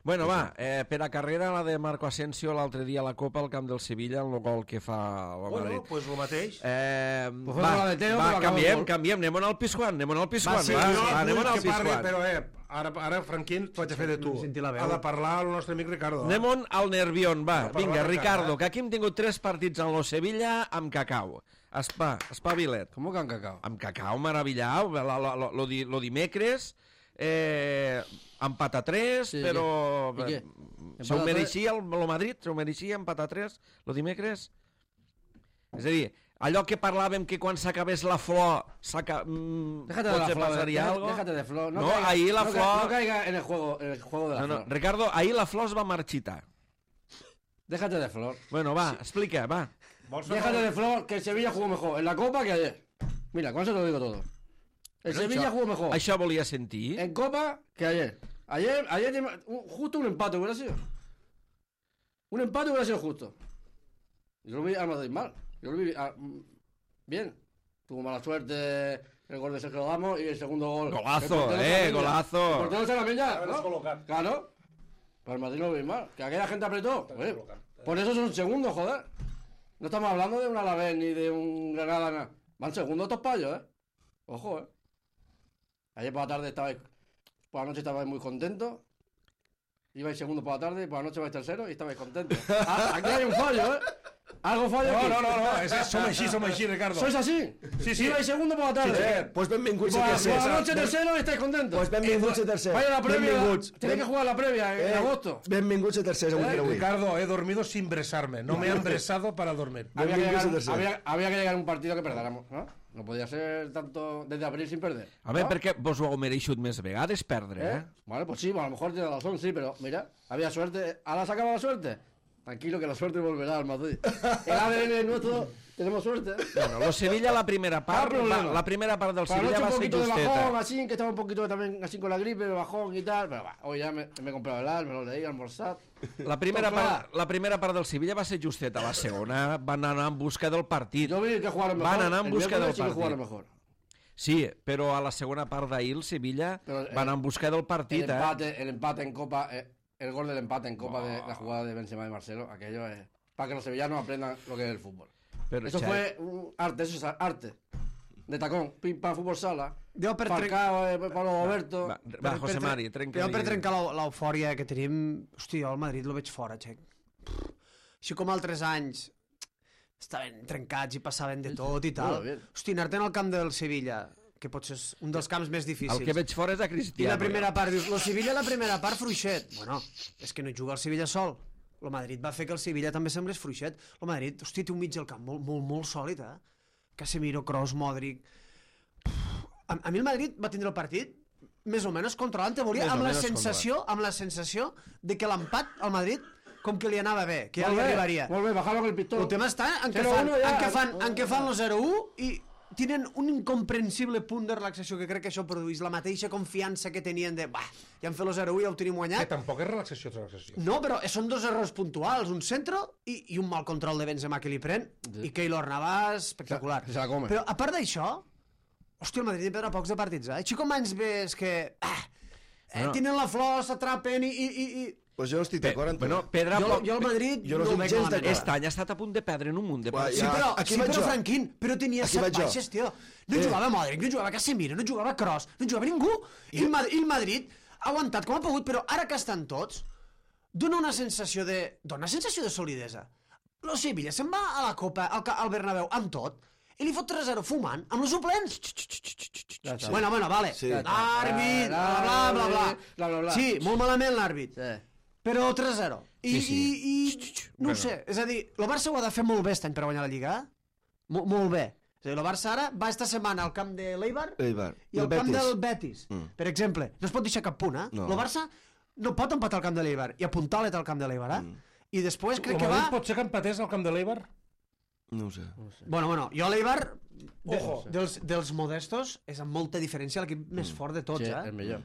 Bueno, va, eh, per a carrera la de Marco Asensio l'altre dia a la Copa al camp del Sevilla, el gol que fa el Bueno, Madrid. pues el mateix. Eh, Pues fue va, la de Teo, va, però acaba el canviem, gol. canviem, anem al Pizjuán, anem al Pizjuán, va, sí, va, jo va, anem vull al que parli, Pizjuán. però eh, ara, ara Franquín, t'ho vaig a fer de tu. Sentir la veu. Ha de parlar el nostre amic Ricardo. eh? Anem al Nervión, va, No, parla vinga, de Ricardo, cara, eh? que aquí hem tingut tres partits en lo Sevilla amb cacau. Espa, espavilet. ¿Cómo que han cacao? Amb cacau meravellau, lo, lo, lo, lo, di- lo dimecres, eh, empat a tres, Sí, però... i què? Se ho Empat a mereixia el, el Madrid? Se ho mereixia empat a tres, lo dimecres? És a dir, allò que parlàvem que quan s'acabés la flor s'aca... mm, Déjate de la potser flor. passaria deja- algo? Déjate de flor. No, caiga- ahir la no ca- flor... No caiga en el juego, en el juego de la No, no, flor. Ricardo, ahir la flor es va marxitar. Déjate de flor. Bueno, va, explica, va. Vols fer Déjate mal? de flor, que el Sevilla jugó mejor en la Copa que ayer. Mira, con eso te lo digo todo. El Però Sevilla això- jugó mejor Això volia sentir? en Copa que ayer. Ayer, ayer tenim- un- justo un empate hubiera sido. Un empate hubiera sido justo. Yo lo vi al Madrid mal. Yo lo vi ah, mm, bien. Tuvo mala suerte el gol de Sergio Ramos y el segundo gol. Golazo, El portero eh, Sarabia. golazo. El portero Sarabia, Haberlos ¿no? colocat. Claro. Pero el Madrid lo vi mal. Que aquella gente apretó. Oye, por eso son segundos, joder. No estamos hablando de un Alavés ni de un Granada, nada. Van segundos estos payos, ¿eh? Ojo, ¿eh? Ayer por la tarde estabais... Por la noche estabais muy contentos. Ibais segundo por la tarde y por la noche vais tercero y estabais contentos. Ah, aquí hay un fallo, ¿eh? Algo falla No, aquí. no, no, no, és, som així, som així, Ricardo. ¿Sois así? Sí, sí. Ibais segundo por la tarde. Eh, pues benvinguts Por a la, tercer. por la noche tercero y estáis contentos. Pues benvinguts a tercer. Vaya la previa. Benvinguts. Tenéis que jugar la previa en Eh, agosto. Benvinguts a tercer, avui per avui. Ricardo, he dormido sin besarme. No me han besado para dormir. Había que, Benvinguts a llegar, tercer. había, había que llegar a un partido que perdáramos, ¿no? No podía ser tanto desde abril sin perder. Home, ¿no? perquè vos ho heu mereixut més vegades perdre, ¿Eh? eh? Vale, pues sí, pues a lo mejor tiene razón, sí, pero mira, había suerte. ¿Ahora se acaba la suerte? Tranquilo que la suerte volverá al Madrid. El A D N nuestro Tenemos suerte. Bueno, lo Sevilla la primera parte, Ah, la primera parte del Para Sevilla noche va un a ser poquito de bajón, justeta. así, que estaba un poquito también así con la gripe, de bajón y tal, pero va, hoy ya me, me he comprado el alma, me lo leí, almorzat. La primera, Tot clar. part, la primera part del Sevilla va ser justeta, la segona van anar en busca del partit. Yo vi que jugaron mejor. Van anar en el busca del miércoles sí que partit. jugaron mejor. Sí, però a la segona part d'ahir el Sevilla Però, eh, va anar en busca del El partit, eh? empate, el empate en Copa, eh, el gol del empate en Copa de la jugada de Benzema y Marcelo, aquello es para que los sevillanos aprendan lo que es el fútbol. Però, Eso Xavi, fue un arte, eso es arte. De tacón, pim pam, fútbol sala. Jo per, trenc... Falcao, eh, Pablo Roberto. Va, per- va, José per- Mari, trenca. Jo per trencar l'eu- l'eufòria que tenim... Hosti, jo al Madrid lo veig fora, xec. Pff, així com altres anys estaven trencats i passaven de tot i tal. Molt bé. Hosti, anar-te'n al camp del Sevilla, que potser és un dels camps més difícils. El que veig fora és a I Cristiano. la primera part, dius, lo Sevilla la primera part fluixet. Bueno, és que no juga el Sevilla sol. El Madrid va fer que el Sevilla també semblés fluixet. El Madrid, hosti, té un mig del camp molt, molt, molt sòlid, eh? Casemiro, Kroos, Modric... A, a mi el Madrid va tindre el partit més o menys controlant, te volia, Més o amb la menys sensació amb la sensació de que l'empat al Madrid com que li anava bé, que ja Molt li bé, arribaria. Molt bé, bajaron el pistó. El tema està en què zero fan, uno ja. en què fan, en què fan el zero u i tenen un incomprensible punt de relaxació que crec que això produeix la mateixa confiança que tenien de, bah, ja hem fet el zero u i ja ho tenim Que guanyat. tampoc és relaxació, relaxació. No, però són dos errors puntuals, un centre i, i un mal control de Benzema que li pren, i Keylor Navas, espectacular. Se la come. Però a part d'això, hòstia, el Madrid hi perdrà pocs de partits, eh? Així com anys ves que... Ah, eh, Bueno. tenen la flor, s'atrapen i... i, i, i... Pues jo no estic d'acord amb tu. Bueno, Pedra... Jo, jo el Madrid jo no no estic ho veig gens malament. d'acord. Aquest any ha estat a punt de perdre en un munt de Uah, partits. Sí, Ja, però, aquí sí, vaig però jo. Franquín, però tenia Aquí set vaig jo. baixes, tio. No Eh. jugava Modric, no jugava Casemiro, no jugava Kroos, no jugava ningú. I el, Madrid, I el Madrid ha aguantat com ha pogut, però ara que estan tots, dona una sensació de... Dona una sensació de solidesa. Lo Sevilla se'n va a la Copa, al, ca- al Bernabéu, amb tot, i li fot tres a zero fumant, amb els suplents. Ja està. Bueno, bueno, vale. Sí. Àrbit, bla, bla, bla, bla. Bla, bla, bla. Sí, molt malament l'àrbit. Sí. Però tres a zero. I, Sí, sí. i, i no ho Bueno. sé, és a dir, el Barça ho ha de fer molt bé aquest any per guanyar la Lliga, eh? Mo molt bé. És a dir, el Barça ara va esta setmana al camp de l'Eibar Eibar. i al El camp Betis. del Betis. Mm. Per exemple, no es pot deixar cap punt, eh? No. El Barça no pot empatar al camp de l'Eibar i apuntar l'et al camp de l'Eibar, eh? Mm. I després crec El que va... Madrid pot ser que empatés al camp de l'Eibar? No ho sé. Bueno, bueno, jo l'Eibar, de, Ojo. dels, dels modestos, és amb molta diferència l'equip més fort de tots, Sí, eh? el millor.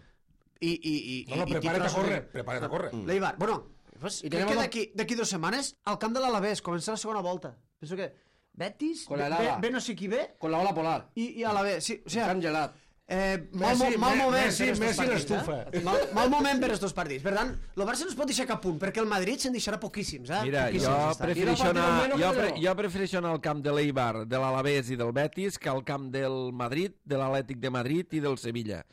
I, i, i, No, no, i- i prepara't a titles- córrer, prepara't a córrer. L'Eibar, bueno, pues, I crec tenim que el- d'aquí d'aquí dues setmanes al camp de l'Alavés comença la segona volta. Penso que Betis, Con la ve, helada. ve no sé qui ve Con la ola polar. i, i Alavés. Sí, o sigui, Can gelat. eh, mal, Messi, mo- mal Me- moment Messi, per estos Messi partits, l'estufa. eh? Mal, mal moment per estos partits. Per tant, el Barça no es pot deixar cap punt, perquè el Madrid se'n deixarà poquíssims, eh? Mira, Poquíssims, jo està. prefereixo, I no anar, partido jo, menos pre, que jo prefereixo anar al camp de l'Eibar, de l'Alavés i del Betis que al camp del Madrid, de l'Atlètic de Madrid i del Sevilla.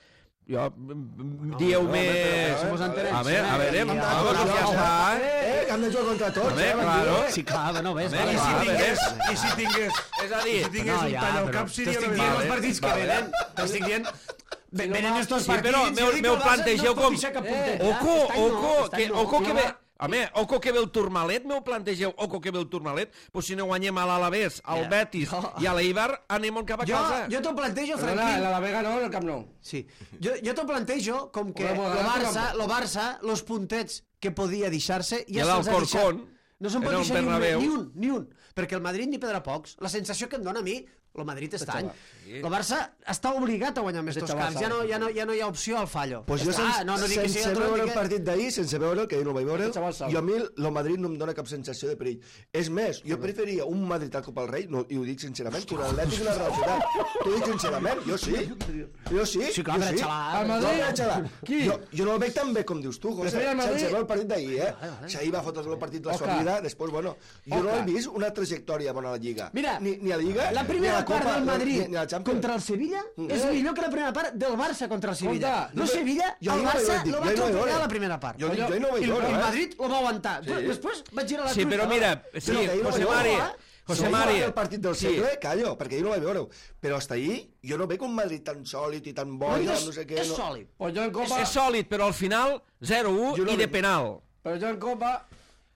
Jo, no, dieu-me... però, si mos entenem, A veure, a veure, ja, vamos, ja, vamos, ja, ja està, eh? Eh, que han de jugar contra tots, Home, eh? van claro. dir, eh? Sí, clar, bueno, ves, Home, vale. I si clar, tingués, veure. i si tingués, És a dir, i si tingués No, un ja, tall al però cap seria t'estic una dient mica- els partits que vale. venen. T'estic dient... Ven- Venen estos Sí, partits... però jo meu, dic meu que el Barça plantegeu no es pot com... deixar cap Eh, puntet, eh? Oco, Aquest any no, oco, aquest any que, no. oco que ve... va. Home, oco que ve el Tourmalet, meu plantegeu, oco que ve el Tourmalet, pues si no guanyem a l'Alavés, al Mira, Betis jo- i a l'Eibar, anem cap a Jo, casa. jo t'ho plantejo, Perdona, Franquín. la Vega no en el Camp Nou. Sí. Jo, jo t'ho plantejo com que Podem el ganar Barça, tampoc. el Barça, los puntets que podia deixar-se, I ja se'ls ha deixat. l'Alcorcón, No se'n pot era un deixar ni un, Bernabéu. ni un, ni un. Perquè el Madrid n'hi perdrà pocs. La sensació que em dona a mi, el Madrid està any. El Barça està obligat a guanyar més Este dos xaval camps. Ja no, sabe. ja, no, ja no hi ha opció al fallo. Pues jo Està, sense, no, no dic que sigui sense veure el automàtic, partit d'ahir, sense veure, que ahir no el vaig veure, Aquest xaval sabe. jo a mi el Madrid no em dona cap sensació de perill. És més, jo preferia un Madrid al Copa del Rei, no, i ho dic sincerament, que un Atlètic i una Real Societat. T'ho dic sincerament, jo sí. Jo sí, Sí, clar, jo per sí. xalar. Al No, Madrid? per xalar. Qui? Jo, jo no el veig tan bé com dius tu, José, Preferia el Madrid? sense veure el partit d'ahir, eh? Si ahir va fotre el partit la Oscar. sua vida, després, bueno, jo no Oscar. he vist una trajectòria bona a la Lliga. Mira, ni, ni a la Lliga, la ni a primera la Copa, part del Madrid ni, ni a la Champions. contra el Sevilla és millor que la primera part del Barça contra el Sevilla. Compte, No jo- Sevilla, jo el no vaig Barça veure, dic, lo va jo no vaig atropellar veure. a la primera part. Jo dic, jo no vaig I el, veure, el eh? Madrid lo va aguantar. Després va girar la Sí, truita. però mira, sí, Però que ahir no José vaig Mari, veure, José si ahir Mari, va el partit del sí. segle, callo, perquè ahir no vaig veure-ho. Però hasta ahir jo no veig un Madrid tan sòlid i tan bo, i No, tan és, no sé què. és no. sòlid. Pues yo en És, Copa... és sòlid, però al final zero u Jo no i de veig- penal. Pero yo en Copa...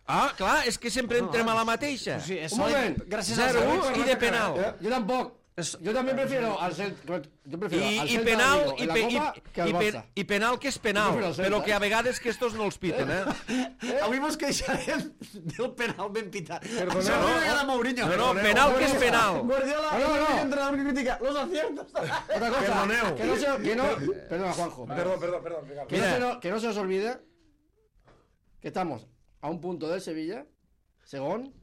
Ah, clar, és que sempre entrem a la mateixa. Sí, és Un sòlid moment. gràcies zero al u Barça. i de penal. Eh? Yo tampoco. Yo también prefiero al Celta. Yo prefiero I, al i Celta penal, de Vigo i, en la pe, Copa i, que al i, pe, Barça. i penal que és penal, Prefiero el Celta. però que a vegades que estos no els piten, eh? Avui mos queixarem del penal ben pitat. Perdoneu, Això no? no agrada Mourinho. No, no, penal que és penal. Guardiola, No, no, no. el entrenador que critica los aciertos. Otra cosa, Perdoneu. que no se, que no, perdona Juanjo, Perdón, perdón, perdón, Ricardo. que no, se no- que no se os olvide que estamos a un punto del Sevilla, según,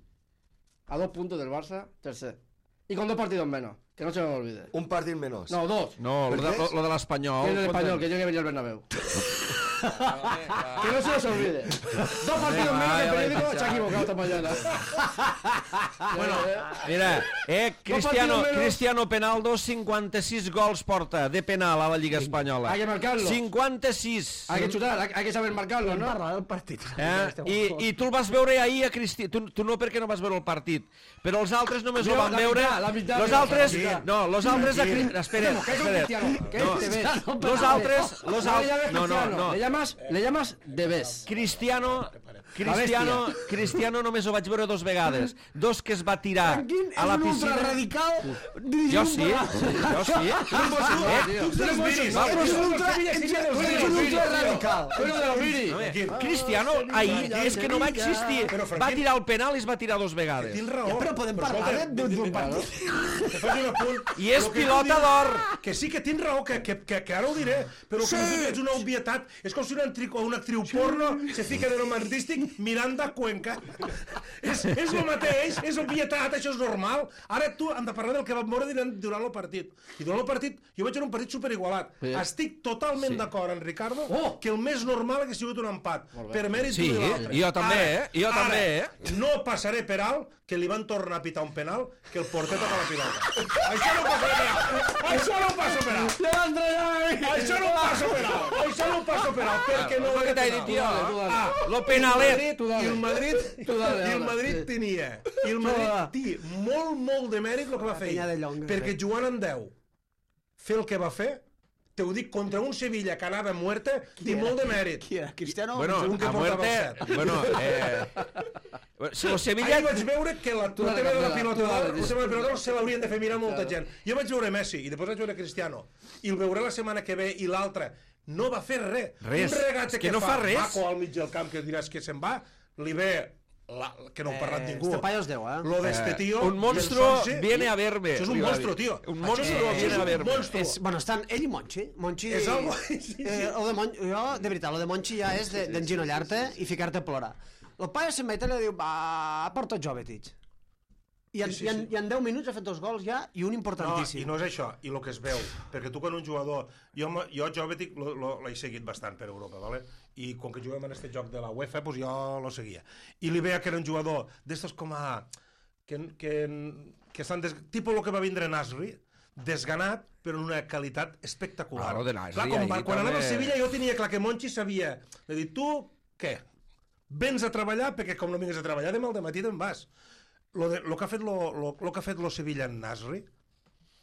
a dos puntos del Barça, tercer, y con dos partidos menos, que no se os olvide. Un partit menys. No, dos. No, lo de, lo, lo de l'Espanyol. Que es el español, que yo que venía al Bernabéu. Que no se os olvide. Dos partidos menos que el periódico se ha equivocado esta mañana. Bueno, Mira, eh, Cristiano, partidos menos. Cristiano Penaldo, cinquanta-sis gols porta de penal a la Lliga Espanyola. Hay que marcarlo. cinquanta-sis. hay que chutar, hay, hay que saber marcarlo, ¿no? Parla del partit. Eh? I, I tu el vas veure ahir a Cristiano. Tu, tu no perquè no vas veure el partit, però els altres només Jo, ho van la veure. meitat, la meitat, Los la altres, meitat. no, los altres a Cri- espera, ¿Qué es un espera. cristiano? ¿Qué No, te ves? los altres, los No le llames altres, no, no, cristiano, no. Le llamas, le llamas de ves. Cristiano, Cristiano, Cristiano només ho vaig veure dos vegades. Dos que es va tirar Quin a la és un piscina. ultraradical Jo sí, jo sí. És un ultra... És un ultraradical. Pero de los Viri. Cristiano ahir és que no va existir. Però, Va Franquín- tirar el penal i es va tirar dos vegades. Tens raó. Però podem parlar de- d'un d'un partit. Te faig un apunt. I és Lo que pilota tu dius- d'or. Que sí que tens raó, que, que, que, que ara ho diré, però sí. Que és una obvietat. És com si una, actriu, una actriu porno se fica de nom artístic Miranda Cuenca. és, és el mateix, és obvietat, això és normal. Ara tu hem de parlar del que vam veure durant, durant el partit. I durant el partit, jo vaig veure un partit superigualat. Sí. Estic totalment sí. d'acord amb Ricardo Oh! que el més normal hagués sigut un empat. Per mèrit Sí, d'un i l'altre. jo també, Ara- eh? Jo ara, també, eh? No passaré per alt que li van tornar a pitar un penal que el porter toca la pilota. Això no ho passaré per alt. Això no ho passo per alt. Això no ho passo per alt. Això no ho passo per alt. Perquè no és el que t'he penal. dit jo. Tu dale, Ah, Lo penalet. Tu I dale. el Madrid, Tu dale, i el ara. Madrid Sí. tenia, i el Madrid té molt, molt de mèrit el que va fer penya de ell. Llonga, Perquè eh? jugant en deu, fer el que va fer, te ho dic, contra un Sevilla que anava a muerte, té molt de mèrit. Qui era? Cristiano? Bueno, un que a portava muerte... el set. Bueno, eh... Si el Sevilla... Ahir vaig veure que la, el dale, tema de la Candela, pilota tu dale, d'or, el sí. tema de la pilota d'or se l'haurien de fer mirar molta gent. Jo vaig veure Messi i després vaig veure Cristiano i el veuré la setmana que ve i l'altra. No va fer res. Res. Un regate És que no fa res. Maco al mig del camp que diràs que se'n va, li ve la, que no ha parlat Eh, ningú. este paio es deu, eh? Lo de este tío. Un y el monstruo Sonsi, viene a verme. Això és un li va monstruo, dir. tio. Un Això monstruo és- viene a això és un verme. monstruo. És, bueno, estan ell i Monchi. Monchi... És algo- sí, sí. Eh, el de Mon... Jo, de veritat, el de Monchi ja és de- d'enginollar-te i ficar-te a plorar. El paio se'n va i li diu, va, porta Jovetic. I en, Sí, sí, i, en, sí. I en deu minuts ha fet dos gols ja i un No, importantíssim. i no és això, i el que es veu, perquè tu quan un jugador... Jo, m- jo Jovetic lo- lo- l'he seguit bastant per Europa, ¿vale? I quan que juguem en aquest joc de la UEFA, pues jo lo seguia. I li veia que era un jugador d'estos com a... que, que, que estan... Des... Tipo lo que va vindre Nasri, desganat, però en una qualitat espectacular. Claro, de Nasri, Clar, com, ahí quan també- anava a Sevilla jo tenia clar que Monchi sabia de dir, tu, què? Vens a treballar, perquè com no vingues a treballar, demà al dematí te'n vas. Lo, de, lo, que ha fet lo, lo, lo que ha fet lo Sevilla en Nasri,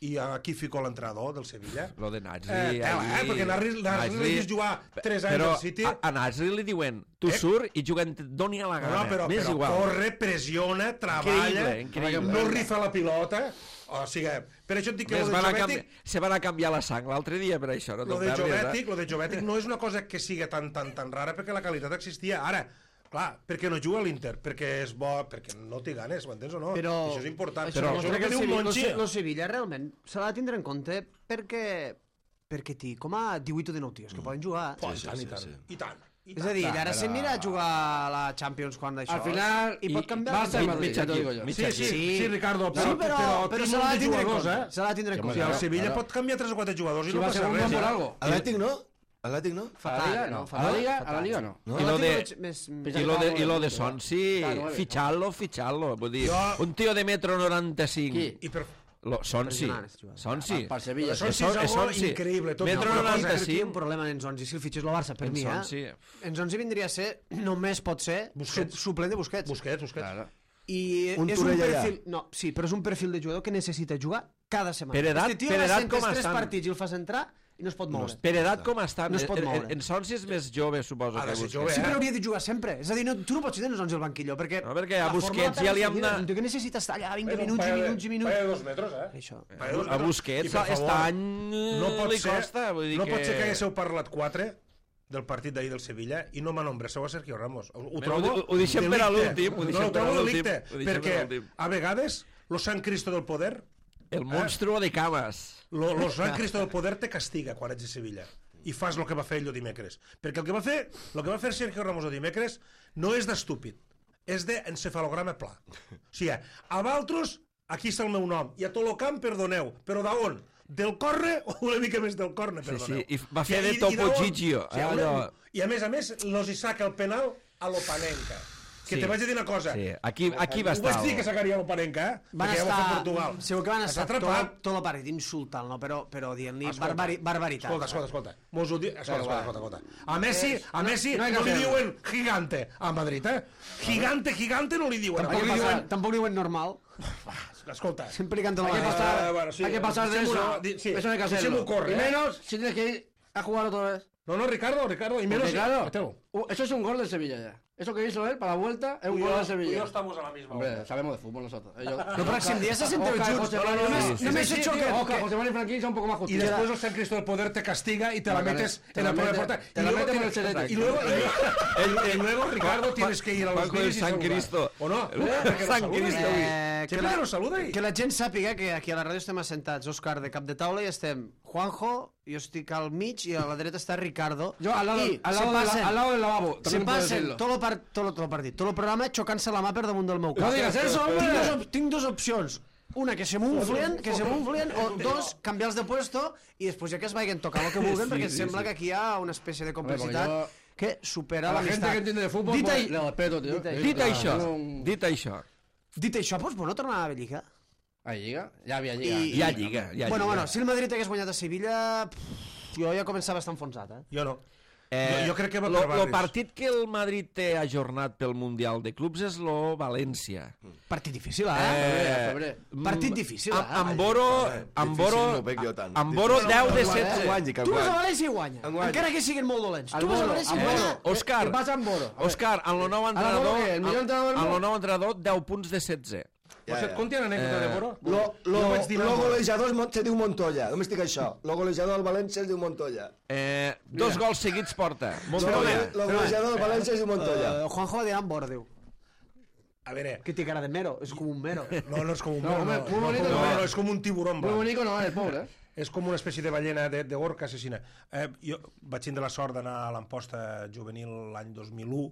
i aquí fico l'entrenador del Sevilla. Lo de Nasri... Eh, tela, eh, ahir- perquè Nasri, Nasri l'he vist jugar tres anys però al City. a, a Nasri li diuen, tu Eh? surt i juguen, doni a la No, gana, no, però, m'és però igual. corre, pressiona, treballa, Increïble, increïble. no rifa la pilota. O sigui, per això et dic que Més lo de van a Jovetic, canvi... Se van a canviar la sang l'altre dia per això, no lo te'n de perdis, Jovetic, eh? lo de Jovetic no és una cosa que sigui tan, tan, tan rara perquè la qualitat existia. Ara, clar, perquè no juga a l'Inter, perquè és bo, perquè no té ganes, ho entens o no? Però Això és important. Això Però demostra això que que el diu Sevilla, Monchi... lo, lo Sevilla realment s'ha de tindre en compte perquè perquè té com a divuit o dinou tios que poden jugar. Oh, i Sí, tant, sí, i tant, sí. i tant. I És tant. a dir, Clar, ara però- se'n mira a jugar a la Champions quan d'això. Al final, i pot canviar. Barça i el- Madrid, mig ja t'ho equip, digo jo. mig Sí, sí, sí, sí, Ricardo, Sí, però, però, té se molt l'ha de de tindre en jugadors, compte. eh? Se l'ha de tindre en Sí, compte. I el Claro, Sevilla claro. pot canviar tres o quatre jugadors i Si no va passa segundo res. por eh? algo. Atlètic no? Atlètic no? A la Liga no. A la Liga, a la Liga no. No? I lo de, Més, i lo de, i lo de Sonsi, Claro, vale. ficharlo, ficharlo. Vull dir, Jo- un tio de metro noranta-cinc. Qui? I per... Lo, Sonsi, Impressionant, este jugador. Sonsi. Per Sevilla. Sonsi Son- és algo Sonsi. increïble. Tot Metro una cosa, noranta-cinc. Aquí hi ha un problema en Zonzi, si el fitxés el Barça, per En mi, Sonsi. eh? En Zonzi vindria a ser, només pot ser, Busquets. su suplent de Busquets. Busquets, Busquets. Claro. I Un és un Torell allà. perfil... No, sí, però és un perfil de jugador que necessita jugar cada setmana. Per edat- este tio per va edat centres com tres estan. partits i el fas entrar, i no es pot moure. Per edat com està? No es pot moure. En Sonsi és més jove, suposo. Ha de que ser Busquets. jove, Sí, eh? però hauria de jugar sempre. És a dir, no, tu no pots tenir al banquillo, perquè... No, perquè a la forma Busquets la ja li hem perds de de- seguida. Un tio que necessita estar allà vint És un minuts i paio de- minuts i minuts. paio de dos metres, eh? Això. Paio de dos A metres. Busquets I, per aquest favor, any no pot li ser, costa. Vull dir no pot ser que que haguéssiu parlat quatre del partit d'ahir del Sevilla i no m'anombresseu a Sergio Ramos. Ho, ho Però trobo ho- ho deixem per a delicte. l'últim, ho No, deixem ho per a trobo l'últim, delicte, ho deixem per perquè a l'últim. a vegades lo San Cristo del poder, el monstruo de Camas. lo, lo San Cristo del poder te castiga quan ets de Sevilla i fas el que va fer ell el dimecres. Perquè el que va fer, el que va fer Sergio Ramos el dimecres no és d'estúpid, és d'encefalograma pla. O sigui, a Valtros, aquí està el meu nom, i a tot el camp, perdoneu, però d'on? Del corre o una mica més del corne, Sí, perdoneu. sí, i va fer de I- i Topo d'on? Gigio, Sí, eh, una- allò. I a més a més, los hi saca el penal a l'Opanenca. Que Sí. te vaig a dir una cosa. Sí, aquí, aquí va Ho estar. vaig dir que sacaria l'Opanenca, eh? Van Perquè ja ho va fer estar... Portugal. Segur que van Està estar tot, atrapat. tot el partit insultant, no? però, però dient-li Escolta, barbari, barbaritat. Escolta, escolta, escolta. Mos ho di... escolta, escolta, escolta, escolta. A Messi, a Messi no no, hay que li hacerlo. diuen gigante a Madrid, eh? Gigante, gigante no li diuen. Tampoc li Aquí diuen, passa- tampoc li diuen normal. Escolta. Sempre li canten Hay la que mateixa. pasar, Ah, bueno, sí, hay que pasar de dicemos eso. una- di- sí, Eso no hay que hacerlo. dicemos corre, y ¿eh? menos si tienes que ir a jugar otra vez. No, no, Ricardo, Ricardo, y menos... Porque, claro, Mételo. uh, eso es un gol del Sevilla ya. Eso que hizo él para la vuelta es un gol del Sevilla. estamos a la misma Hombre, sabemos de fútbol nosotros. Ellos... No, però si en dia se senteu Oscar, junts. José No, Manuel, no, sí, només, sí, només sí, he hecho tío, que... Oscar, que- José Manuel y Franquín son un poco más Y justos. después el San Cristo del Poder te castiga y te la Te la metes te en la la prueba de mete- puerta. te Y la luego mete por tienes- el chelete. y luego, y luego, Ricardo, tienes que ir a los Juanjo del vídeos y San saludar. Cristo. ¿O no? El Perquè San nos saluda. Cristo. Eh, que, Sempre la, que nos saluda i... que la gent sàpiga que aquí a la ràdio estem assentats Òscar de cap de taula i estem Juanjo, jo estic al mig i a la dreta està Ricardo. Yo al lado, I al se lado, de la- passen, al lado del lavabo. se También puedo passen decirlo. tot el, par, tot, el, tot el partit, tot el programa xocant-se la mà per damunt del meu cap. No digas eso, hombre. Tinc dos, op- tinc dos opcions. Una, que se m'unflien, que se m'unflien, o dos, canviar-los de puesto i després ja que es vagin tocar el que vulguen, Sí, perquè sí, sembla sí. que aquí hi ha una espècie de Hombre, porque complicitat yo- que supera A la gente l'amistat. que entiende de fútbol, Dit, pues, ai- le respeto, tío. dit ai- Dit Claro, això, tengo un- dit això. Dit això, doncs, bueno, tornar a la Lliga. Ahí llega, ya había llegado. I- Hi ha lliga, hi ha Bueno, lliga. bueno, si el Madrid hagués guanyat a Sevilla, pff, jo ja començava a estar enfonsat, eh? Jo no. Eh, Jo- jo crec que va lo, per lo barris. partit que el Madrid té ajornat pel Mundial de Clubs és lo València. Partit difícil, eh? febrer, febrer. mm, Partit difícil, Amb, eh? amb Boro, amb Difícil Boro, no veig jo tant. amb Boro deu de Que setze. guanyi, que Tu vas a guanyi. València i guanya. Enguany. Encara que siguin molt dolents. Al Tu vas a Boro, València al i guanya. Boro. Òscar, ¿Qué pasa en Boro? A ver. Òscar, amb el nou Boro entrenador, què? El millor entrenador del amb el món? nou entrenador, deu punts de setze. Per cert, conti una anècdota de Boro? Lo, lo, Jo vaig dir lo amb Boro. golejador es mon- se diu Montoya, només dic això. Lo golejador del València es diu Montoya. Eh, dos gols seguits porta. Lo, Montoya. lo golejador del València es diu Montoya. Eh, Juanjo va dir amb Boro, diu. A veure, Que té cara de mero, és com un mero. no, no és com un... No, no, home, muy bonito no, no no, es. no, és com un tiburón Muy blanc. bonito no es, pobre. ¿eh? És com una espècie de ballena de, de orca assassina. Eh, jo vaig tindre la sort d'anar a l'Amposta juvenil l'any dos mil u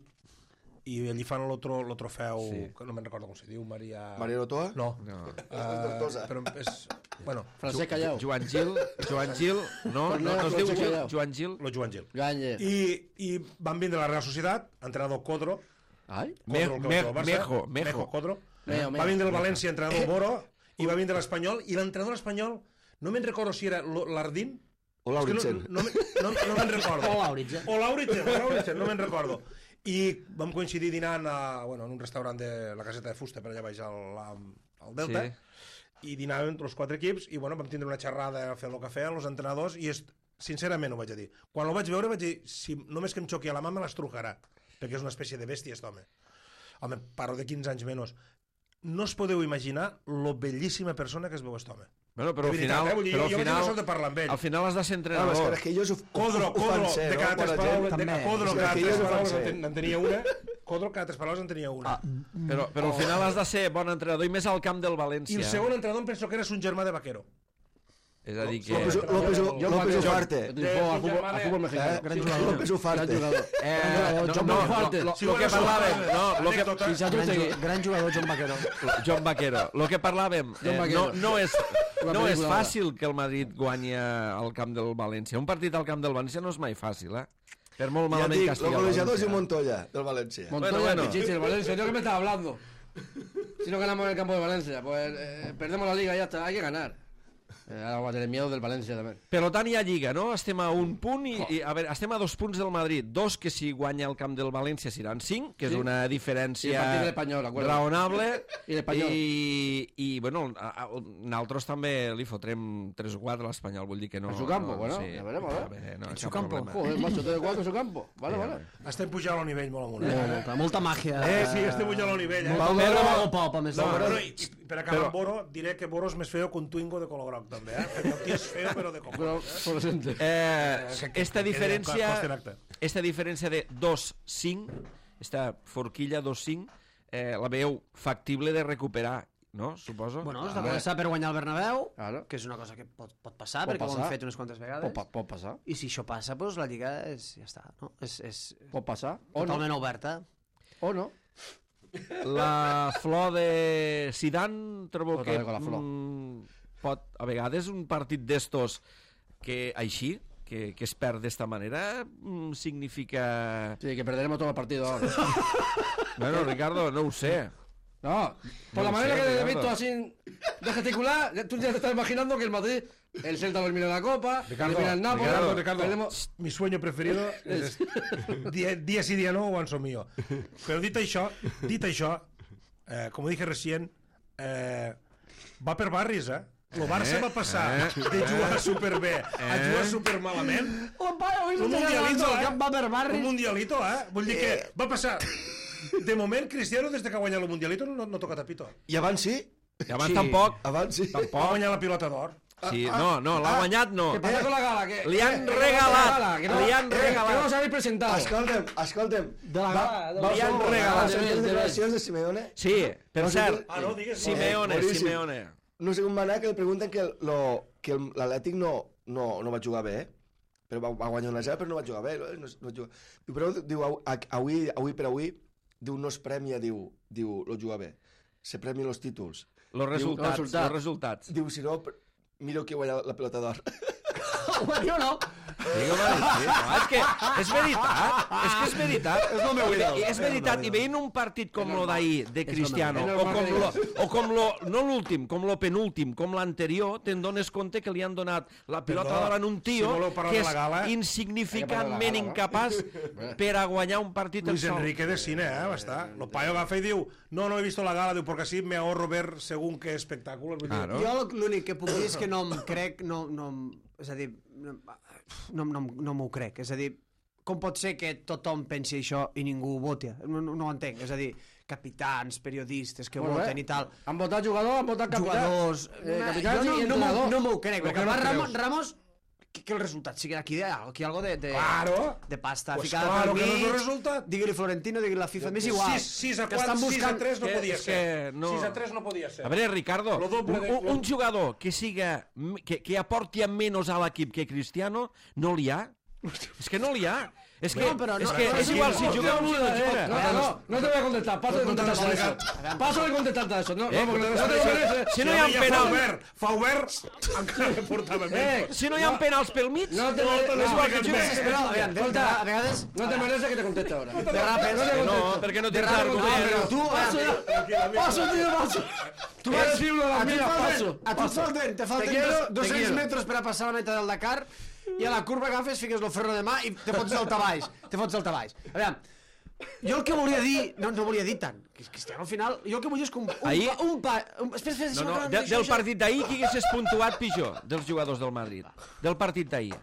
i allí fan el tro, lo trofeu, sí. que no me'n recordo com se diu, Maria... Maria Lotoa? No. No. Uh, però és... Bueno, Francesc Callao. Joan Gil, Joan Gil, no, no, no es diu Gil, Joan Gil. lo Joan Gil. Gagne. I, I van vindre a la Real Societat, entrenador Codro, Ay. Me- Codro, el que me- va jugar al Barça, Mejo, Mejo. Mejo Codro. Mejo, Mejo. Va vindre el València, entrenador Boro, i va vindre l'Espanyol, i l'entrenador espanyol, no me'n recordo si era lo- l'Ardín, O és que Lauritsen. no, no, me- no, no me'n recordo. O Lauritsen. O Lauritsen, o Lauritsen, no me'n recordo. I vam coincidir dinant a, bueno, en un restaurant de la caseta de fusta, per allà baix al, al Delta, Sí. i dinàvem entre els quatre equips, i bueno, vam tindre una xerrada fent el que feien els entrenadors, i és, sincerament ho vaig a dir. Quan ho vaig veure vaig dir, si només que em xoqui a la mà me l'estrujarà, perquè és una espècie de bèstia, aquest home. Home, parlo de quinze anys menys. No us podeu imaginar lo bellíssima persona que es veu aquest home. Bueno, però al De veritat, final, eh? Vull dir, però al jo vaig tenir la final, sort de parlar amb ell. al final has de ser No, és que, entrenador. és que ells ho, Codro, ho, ho fan Codro, ser, de no? cada Bona tres gent. paraules, de també. cada Codro, És que cada ells tres ho fan paraules ser. en, en tenia una. Codro, cada tres paraules en tenia una. Ah, Però, però al final has de ser bon entrenador i més al camp del I València. el segon entrenador em penso que era un germà de Vaquero. És a dir que... López, López, Yo López Ufarte. Al fútbol, al fútbol mexicano. Eh? Gran jugador. López Ufarte. Gran jugador. Eh, Gran no, jugador. no, John Fuerte. lo, lo, Sí, lo que bueno, parlàvem, això, no, lo que, anècdota. Si Gran, Saturday. ju- gran jugador, John Vaquero. John Vaquero, lo que parlàvem, John eh, Vaquero. no, no, és, Una no és pel·lícula fàcil que el Madrid guanyi al camp del València. Un partit al camp del València no és mai fàcil, eh? Per molt Ja malament dic, que lo estigui el golejador es València. diu Montoya, del València. Montoya, Bueno, bueno. Pichichi, el Valencia. ¿Yo qué me estás hablando? Si no ganamos en el campo de Valencia, pues eh, perdemos la liga y ya está. Hay que ganar. Eh, Ara va tenir miedo del València, també. Per tant, hi ha Lliga, no? Estem a un punt i, i a veure, estem a dos punts del Madrid. Dos que si guanya el camp del València seran cinc, que és Sí. una I el diferència partit de l'Espanyol, acuerdo. raonable. I l'Espanyol. I, i bueno, a, a, nosaltres també li fotrem tres o quatre a l'Espanyol, vull dir que no... En su campo, no, bueno, ya veremos, ¿eh? bé, no, En cap su campo. problema. Joder, macho, tres de cuatro en su campo. Vale, vale. Estem pujant al nivell molt amunt. Molta, Eh? molta, molta màgia. Eh, sí, estem pujant al nivell. Eh? Molt Però- Mago Pop, a més. No, de- però, i, i per acabar Però- amb Boro, diré que Boro és més feo que un Twingo de color groc, també, eh? Perquè el tio és feo, però de color. Pero, por presente. Eh, esta diferència, Costa en acte. esta diferència de dos cinc, esta forquilla dos cinc, eh, la veu factible de recuperar, no? Suposo. Bueno, has de començar per guanyar el Bernabéu, Claro. que és una cosa que pot, pot passar, Pot perquè ho passar. hem fet unes quantes vegades. Pot, pa- pot passar. I si això passa, doncs la Lliga és, ja està, no? És, és Pot passar. O no. totalment oberta. O no. La flor de Zidane trobo Otra que vez con la flor. mm, pot, a vegades un partit d'estos que així, que, que es perd d'esta manera, mm, significa... Sí, que perderemos todo el partido ahora. Bueno, Ricardo, no ho sé. No, por No la lo manera sé, que te he Ricardo. visto así de gesticular, ya- tú ya te estás imaginando que el Madrid, el Celta va a eliminar la Copa, Ricardo, elimina el Nápoles, Ricardo, Ricardo, perdemos... mi sueño preferido és dia, dia sí, dia no, ho ensomio. Però dit això, dit això, eh, com dije recién, eh, va per barris, eh? El Barça Eh, va passar eh, de jugar superbé a eh. jugar supermalament. El paio avui Un no té mundialito, el eh? cap va per Un barris. mundialito, eh? Vull dir que va passar... De moment, Cristiano, des de que ha guanyat el mundialito, no, no toca tapito. I abans sí? I abans Sí. tampoc. Abans sí? Va guanyar la pilota d'or. Sí, no, no, l'ha guanyat no. ¿Qué pasa con la gala? Que, Li han que- que- regalat, que la gala, que no- li han eh, regalat. Que no os habéis presentado. Escolta'm, escolta'm. De la gala, de la Va, Li han va, regalat. va, De les ves, de declaracions de Simeone. Sí, per No sé cert, tu- Ah, no, digues. Simeone, Eh, boníssim. Simeone. No sé com va anar, que li pregunten que lo, que el- l'Atlètic no, no, no va jugar bé, eh? Però va, va guanyar una zero, però no va jugar bé. No, no, no jugar. Diu, però diu, au- a- avui, avui per avui, diu, no es premia, diu, diu, lo jugar bé. Se premien els títols. Los resultats, resultats. los resultats. Diu, si no, per- miro que guanya la pelota d'or. Bueno, no. Digue, vale, sí, no, és que és veritat, és que és veritat. És el meu ídol. És veritat, i veient un partit com lo d'ahir, de Cristiano, És o normal com que lo, digues. o com lo, no l'últim, com lo penúltim, com l'anterior, te'n dones compte que li han donat la pilota Perdó, d'or en un tio si voleu parlar que de és la gala- Hay que insignificantment parlar de la gala, incapaç per a guanyar un partit Luis en sol. Enrique de cine, eh, va estar. Lo paio agafa i diu, no, no he visto la gala, diu, porque así me ahorro ver según qué espectáculo. Vull dir, Claro. Jo l'únic que puc dir és que no em crec, no, no, em- és a dir, no, no, no, no m'ho crec. És a dir, com pot ser que tothom pensi això i ningú ho voti? No, no, no ho entenc. És a dir, capitans, periodistes que Bueno, voten eh, i tal, Han votado jugador, han votado capitán. jugadors... Eh, Una- capitans jo no, i no, m'ho- entrenador. no m'ho crec. Però Perquè què no además creus? Ramos, Ramos que, que el resultat sigui aquí, de, aquí algo de, de, Claro. de pasta Pues ficada claro per que no és el mig, resultat. digui-li Florentino, digui-li la FIFA, m'és igual. sis a que estan buscant... tres no que- podia és ser. que no- sis a tres no podia ser. A veure, Ricardo, Lo doble un, de- un, un jugador que siga que, que aporti a menys a l'equip que Cristiano, no n'hi ha. És que no n'hi ha. És que, No, però és, no- que no, és no, igual no, si no, jugueu No, un no, jugador. no, no, no te voy a contestar, paso de contestarte a eso. Paso de contestarte a eso. No, Eh, no, porque no te lo si- mereces. si no hi ha ja penal- Fa obert, fa obert, encara que portava Eh, menys. Si no hi ha penals pel mig, No te No, mereces. te No, lo igual expliques que bé. jugues, Però, a veure, de, de, a vegades... no te mereces que te conteste ahora. De rapes, No te no, contesto. perquè no de tens rapes, argument. però tu... Paso ya. Paso, tío, paso. Tú vas a decir uno de las A tu et mías, falten, paso. a tu et falten, te falten quiero, dos, te dos-cents quiero. metres per a passar la meitat del Dakar i a la curva agafes, fiques el ferro de mà i te fots saltar baix. Te fots saltar baix. A veure, jo el que volia dir... No, no volia dir tant. Que Cristiano, al final, jo el que volia és que un, un, Ahir- pa, un pa... Un, espera, espera, No, no, deixa'm de, acabar, del deixa'm- partit d'ahir, qui haguessis puntuat pitjor dels jugadors del Madrid? Del partit d'ahir.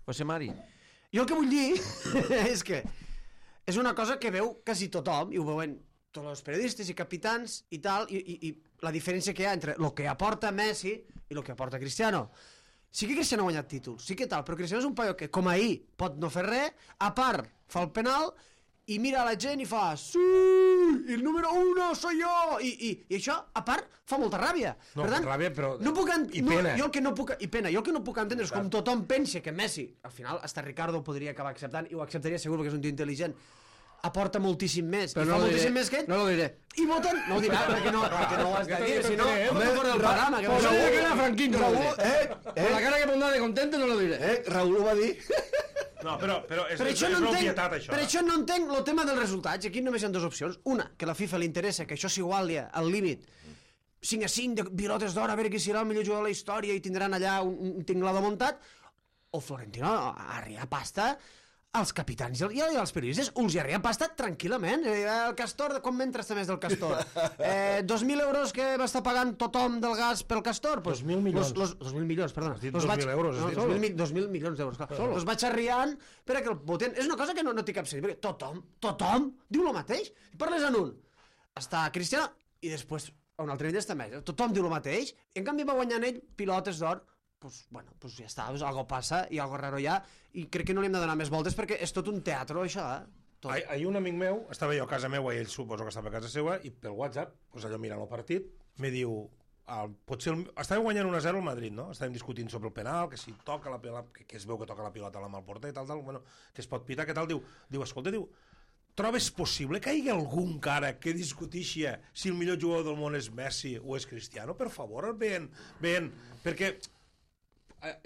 José Mari. Jo el que vull dir és que és una cosa que veu quasi tothom, i ho veuen tots els periodistes i capitans i tal, i, i, i la diferència que hi ha entre el que aporta Messi i el que aporta Cristiano. Sí que Cristiano ha guanyat títols, sí que tal, però Cristiano és un paio que, com ahir, pot no fer res, a part, fa el penal, i mira la gent i fa sí, el número uno soy yo, i, i, i això, a part, fa molta ràbia. No, per tant, ràbia, però- no puc ent... i no, pena. jo el que no puc... I pena, jo el que no puc entendre és com tothom pensa que Messi, al final, hasta Ricardo ho podria acabar acceptant, i ho acceptaria segur perquè és un tio intel·ligent, aporta moltíssim més, Però i no fa lo moltíssim diré. més que ell, No lo diré. i voten... No ho dirà, perquè no, perquè no ho has de dir, si no, Eh, home, fora del programa, que Por no la cara Franquín, no lo diré. Eh, Por eh, la cara que pondrá de contento, no lo diré. eh, Raül ho va dir. No, però, però és, Per és, això, és no una entenc, obvietat, això. per això no entenc el tema dels resultats. Aquí només hi ha dues opcions. Una, que a la FIFA li interessa que això s'iguali al límit cinc a cinc de pilotes d'or, a veure qui serà el millor jugador de la història i tindran allà un, un tinglado muntat, o Florentino arria pasta als capitans i als periodistes, us hi arria pasta tranquil·lament. El Castor, com m'entra este mes del Castor? Eh, dos mil euros que va estar pagant tothom del gas pel Castor? Pues, dos mil milions. Los, los, dos mil milions, perdona. Has dit Los dos vaig, mil euros, has no, dit dos, solo. mil, dos mil milions d'euros, clar. Solo. Els vaig arriant perquè el voten... És una cosa que no, no té cap sentit, perquè tothom, tothom diu el mateix. Parles en un, està Cristiano, i després a un altre nivell està més. Tothom diu el mateix, i en canvi va guanyant ell pilotes d'or. Pues, bueno, pues ja està, pues algo passa i algo raro hi ha, i crec que no li hem de donar més voltes perquè és tot un teatre, això, eh? Tot. Ahir, ahir un amic meu, estava jo a casa meva i ell suposo que estava a casa seva, i pel WhatsApp, pues allò mirant el partit, me diu, el, potser el, estava guanyant un a zero el Madrid, no? Estàvem discutint sobre el penal, que si toca la pilota, que, que es veu que toca la pilota a la mà al porter i tal, tal, bueno, que es pot pitar, que tal, diu, diu, escolta, diu, trobes possible que hi hagi algun cara que discutixi si el millor jugador del món és Messi o és Cristiano? Per favor, ben, ben, perquè...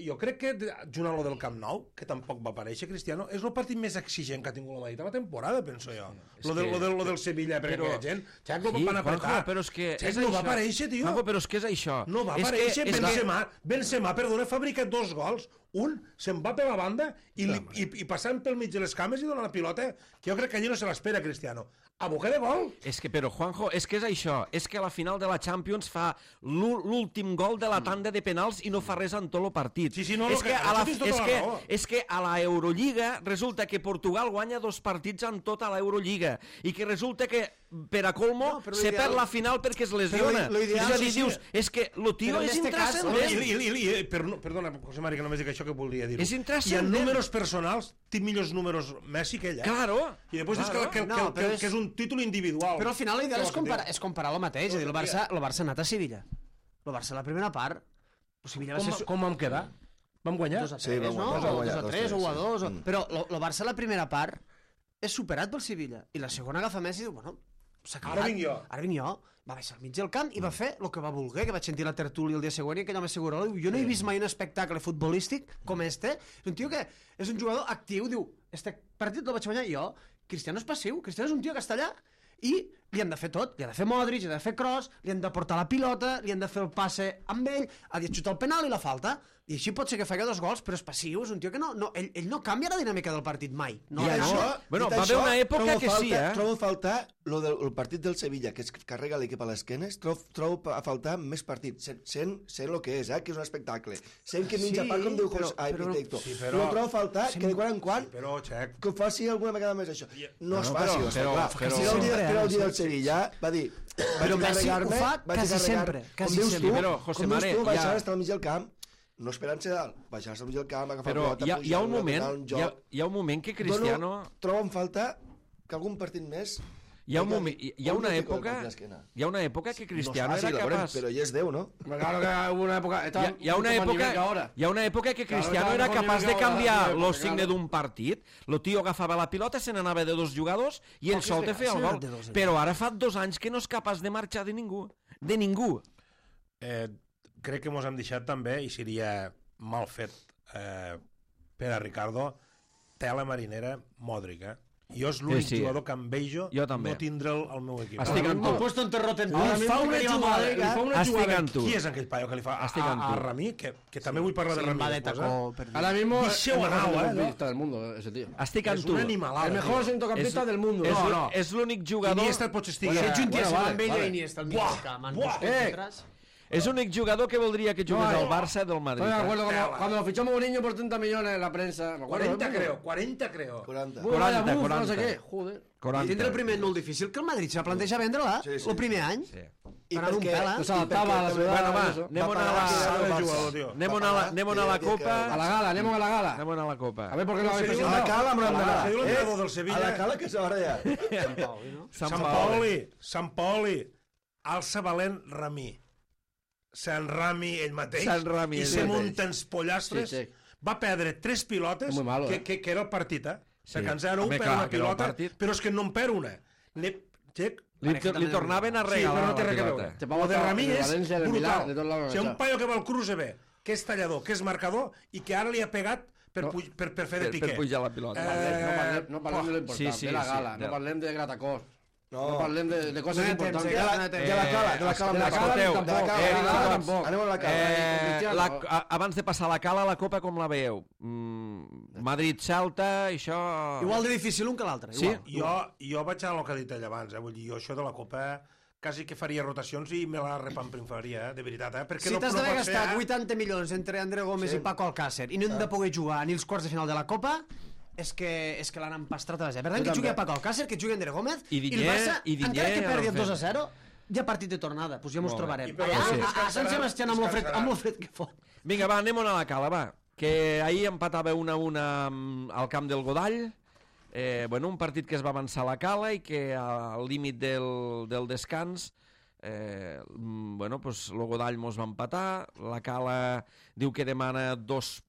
jo crec que junt a lo del Camp Nou, que tampoc va aparèixer Cristiano, és el partit més exigent que ha tingut la Madrid a la temporada, penso jo. Sí, lo, de, lo, de, lo del Sevilla, perquè però, aquella gent Xaco sí, van apretar. Juanjo, però és que Xaco és no això. va aparèixer, tio. Juanjo, però és que és això. No va és aparèixer. Que, Benzema, que... Benzema, perdona, fabrica dos gols. Un se'n va per la banda i, li, i, i passant pel mig de les cames i dona la pilota, que jo crec que allí no se l'espera, Cristiano. A boca de gol. És que, però, Juanjo, és que és això. És que a la final de la Champions fa l'últim gol de la tanda de penals i no fa res en tot el partit. Sí, sí, no, és, no, que que, a la, tota és, la que, raó. és que a la Eurolliga resulta que Portugal guanya dos partits en tota l'Eurolliga i que resulta que per a colmo No, se perd la final perquè es lesiona. Però lo ideal- és a dir, sí, sí. dius, és que lo tio Però en és este cas, I, intrascendent. i, i, i, per, perdona, José Mari, que només dic això que volia dir-ho. És I en intrascendent. números personals té millors números Messi que ell, eh? Claro. I després Claro. dius que, que, No, que, que, però és- que és un títol individual. Però al final l'ideal Què és vols comparar, dir? és comparar el mateix, és a dir, el Barça, el Barça ha anat a Sevilla. El Barça la primera part, el Sevilla va Com, ser... com vam quedar? Vam guanyar? dos a Sí, tres, vam no? guanyar, O vam guanyar, dos a dos a tres, tres, o a sí. dos... Mm. Però el Barça la primera part és superat pel Sevilla. I la segona agafa Messi i diu, bueno, s'ha acabat. Ara vinc jo. Ara vinc jo. Va baixar al mig del camp i va fer el que va voler, que vaig sentir la tertúlia el dia següent i aquell home segura. Jo no he vist mai un espectacle futbolístic com este. És un tio que és un jugador actiu, diu, este partit el vaig guanyar jo. Cristiano és passiu, Cristiano és un tio que està allà i li han de fer tot, li ha de fer Modric, li ha de fer Kroos, li han de portar la pilota, li han de fer el passe amb ell, ha de xutar el penal i la falta. I així pot ser que faci dos gols, però és passiu, és un tio que no, no ell, ell no canvia la dinàmica del partit mai. No, Ja, això, no. Bueno, dit va haver això, una època trobo que falta, sí, eh? Trobo a faltar lo del el partit del Sevilla, que es carrega l'equip a l'esquenes, trobo, trobo a faltar més partits, sent, sent, sent el que és, eh? Que és un espectacle. Sent que minja Sí, pa, com diu però- José, ai, però- Pitecto. sí, Sí, però- però... trobo a faltar que de quan en quan Però, Xec, que ho faci alguna vegada més això. No, No, es no, faci, però- però, però- clar. però- Si era el dia, Sempre, era el dia eh? del Sevilla, va dir... Però vaig Messi ho carregar-me, fa vaig quasi carregar- sempre, quasi com dius sempre. Tu, Però, José com dius Mare, tu, baixar ja- estar al mig del camp, no esperant-se dalt, baixar-se al mig del camp, agafar Però la pilota, hi ha, hi ha un pujar-la, moment, donar un hi ha, joc. hi ha un moment que Cristiano... Dono, trobo en falta que algun partit més... Hi ha, un moment, hi, hi ha una Algun fico època... de l'esquena. Hi ha una època que Cristiano no és fàcil, era la veurem, capaç... però ja és Déu, no? Claro que hubo una época... Hi ha, hi ha una mucho más nivel que època, ahora. hi ha una època que Cristiano Claro, era claro, capaç de claro, canviar claro, lo claro. signe d'un partit, lo tio agafava la pilota, se n'anava de dos jugadors i ell Poques sol te vegades feia el se n'ha gol. anat de dos, ell. Però ara fa dos anys que no és capaç de marxar de ningú. De ningú. eh, crec que mos hem deixat també, i seria mal fet eh, per a Ricardo, tela marinera Modric, eh? Jo és l'únic Sí, sí. jugador que envejo Jo també. no tindre'l al meu equip. Estic amb M'ho tu. he puesto en terrote en Ahora Li mismo fa una quería jugada, Modric, li fa una Estic jugada. amb tu. Qui és aquell paio que li fa a, Estic a, amb a tu. Ramí? Que, que també vull parlar de Sí, Ramí. va de després, tacó, eh? perdido. Ahora mismo es Deixeu el mejor anar, eh, centrocampista del mundo, ese tío. Estic amb És tu. una animalada. El mejor tio. centrocampista És- del mundo. És, No, no. és l'únic jugador... Iniesta pot estar... Si Bueno, ets un bueno, tia vale, amb ell vale. i Iniesta al mig Buah, del camp, buah. en Eh. detrás. És l'únic jugador que voldria que jugués No, al no. Barça del Madrid. Estoy de acuerdo Tela. cuando, cuando lo fichó Mourinho por treinta millones en la prensa. Me acuerdo, quaranta, ¿no? creo. quaranta, creo. quaranta. Bueno, vaya quaranta, buf, no sé quaranta. què. Joder. quaranta. Tindre el primer any molt difícil, que el Madrid se va plantejar vendre-la Sí, sí. el primer any. Sí. I Anant un perquè- pela. No s'adaptava a la i perquè ciutat. Bueno, va, eso. anem a pagar la... que era Sabe el el Barça. jugador, tio. Anem a la, anem a la Va pagar, Copa. A la gala, anem a la gala. Anem a la Copa. A ver por qué no lo habéis A la presentado. cala, amb A la la gala. Diu l'entrenador del A Sevilla. la cala que s'haurà ja. Sant Pauli, no? Sant Sant Paoli. Paoli, Sant Paoli, alça valent Ramí. Sant Rami ell mateix. Sant Rami I ell se mateix. munta els pollastres. Sí, sí. Va perdre tres pilotes, Muy malo, que, eh? que, que era el partit, eh? Sí. Sí. Que en zero un Home, per clar, una que era el pilota, partit. però és que no en per una. Ne... Xec, Li, li tornaven a Sí, regalar però no té la res a pilota. veure. Te O vamos de a- Ramí de és València, del brutal. Milà, de tot lado, O sigui, un clar. paio que va al cruce bé, que és tallador, que és marcador, i que ara li ha pegat per, No. puj, per, per fer Per, de piqué. per pujar la pilota. No parlem, no parlem, no parlem de lo importante, sí, sí, de la sí, gala, de- no parlem de Gratacós. No, no parlem de, de coses No hi ha importants. temps, de la, eh, de la cala, de la cala, de la cala, escolteu, tampoc. de la cala, eh, de la cala, tampoc. anem a la cala. Eh, Cristiano. la, a, abans de passar a la cala, la Copa com la veieu? Mm, Madrid-Celta, això... Igual de difícil un que l'altre. Sí? Igual. Jo, jo vaig a el que ha dit ell abans, eh? Vull dir, jo això de la Copa quasi que faria rotacions i me la repamprinfaria, eh? De veritat, eh? Perquè Si no, t'has no d'haver pot ser, gastat eh? vuitanta milions entre André Gómez Sí. i Paco Alcácer i no hem de poder jugar ni els quarts de final de la Copa, és que, és que l'han empastrat a la gent. Per tant, Jo que jugui també. a Paco Alcácer, que jugui André Gómez, I i, Digne, el Barça, i Digne encara que ja perdi l'han el dos a fet. zero, ja partit de tornada, doncs ja mos Molt bé. trobarem. I per Allà, sí. a, a Sant Descansaran, Sebastià amb lo fred, descansaran. amb lo fred que fot. Vinga, va, anem a la cala, va. Que ahir empatava una a una amb- al camp del Godall. Eh, bueno, un partit que es va avançar a la cala i que al límit del, del descans eh, mm, bueno, pues, el Godall mos va empatar. La cala diu que demana dos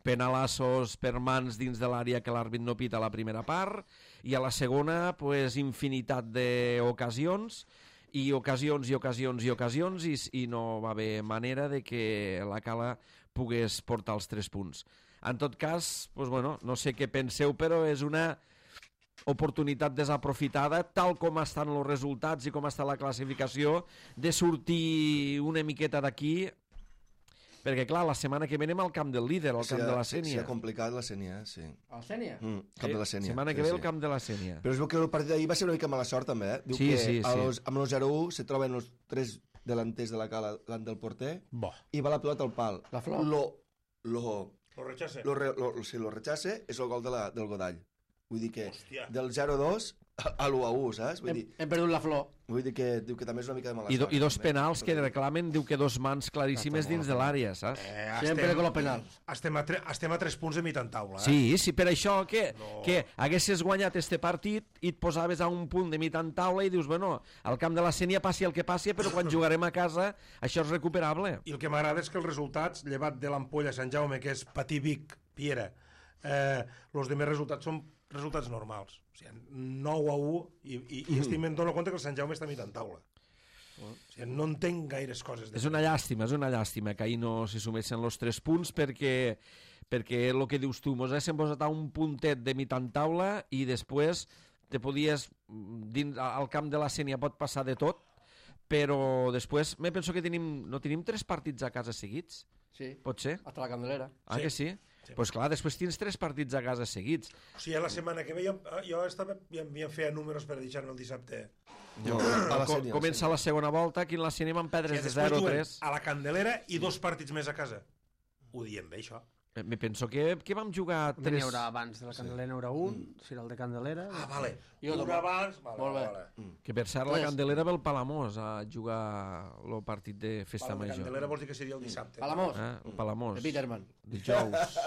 penalassos per mans dins de l'àrea que l'àrbit no pita a la primera part, i a la segona pues, infinitat d'ocasions i ocasions i ocasions i ocasions i, i no va haver manera de que la cala pogués portar els tres punts. En tot cas, pues, bueno, no sé què penseu, però és una oportunitat desaprofitada, tal com estan els resultats i com està la classificació, de sortir una miqueta d'aquí, perquè clar, la setmana que ve anem al camp del líder, al camp de la Sí, Sénia. ha complicat la Sénia, sí. El Sènia? Mm, camp de la Sénia. Setmana que sí, ve sí. el camp de la Sénia. Però es veu que el partit d'ahir va ser una mica mala sort, també, eh? Diu Sí, que sí, a sí. los, amb el zero u se troben els tres delanters de la cala davant del porter Bo. i va la pilota al pal. La flor. Lo, lo, Lo rechace. lo, re- lo, si lo rechace és el gol de la, del Godall. Vull dir que Hòstia. del zero a dos a l'u a u, saps? Vull Hem, dir, hem perdut la flor. vull dir que diu que també és una mica de mala I, do, sort. I dos també. penals que reclamen, diu que dos mans claríssimes dins de l'àrea, saps? Eh, Sempre con los penals. Estem a, tre, estem a tres punts de mitjan taula, eh? Sí, sí, per això que, No. que haguessis guanyat este partit i et posaves a un punt de mitjan taula i dius, bueno, al camp de la Sénia passi el que passi, però quan jugarem a casa això és recuperable. I el que m'agrada és que els resultats, llevat de l'ampolla Sant Jaume, que és Patí Vic, Piera, eh, els demés resultats són resultats normals. O sigui, nou a u, i, i, i estic me'n dono compte que el Sant Jaume està a mitjan taula. O sigui, no entenc gaires coses. És una llàstima, és una llàstima que ahir no s'hi sumessin els tres punts perquè, perquè el que dius tu, mos haguéssim posat a un puntet de mitjan taula i després te podies, dins, al camp de la Sénia pot passar de tot, però després me penso que tenim, no tenim tres partits a casa seguits, Sí, pot ser? hasta la Candelera. Ah, Sí. que sí? Sí. Doncs pues clar, després tens tres partits a casa seguits. O sigui, la setmana que ve jo, jo estava, ja, ja feia números per deixar-me el dissabte. No, a la Co Sénia, comença sí. la segona volta, aquí en la Sénia van perdre I de després zero a juguen tres. a la Candelera i dos partits més a casa. Ho diem bé, això. Eh, Me penso que, que vam jugar N'hi tres... haurà abans de la Candelera, n'hi haurà un, serà el de Candelera. Ah, vale. Jo Un també. abans... Vale, Molt bé. vale. Que per cert la Res. Candelera ve el Palamós a jugar el partit de Festa Vale, la Major. Candelera vols dir que seria el dissabte. Palamós, Eh? El Palamós. de Peterman. Dijous.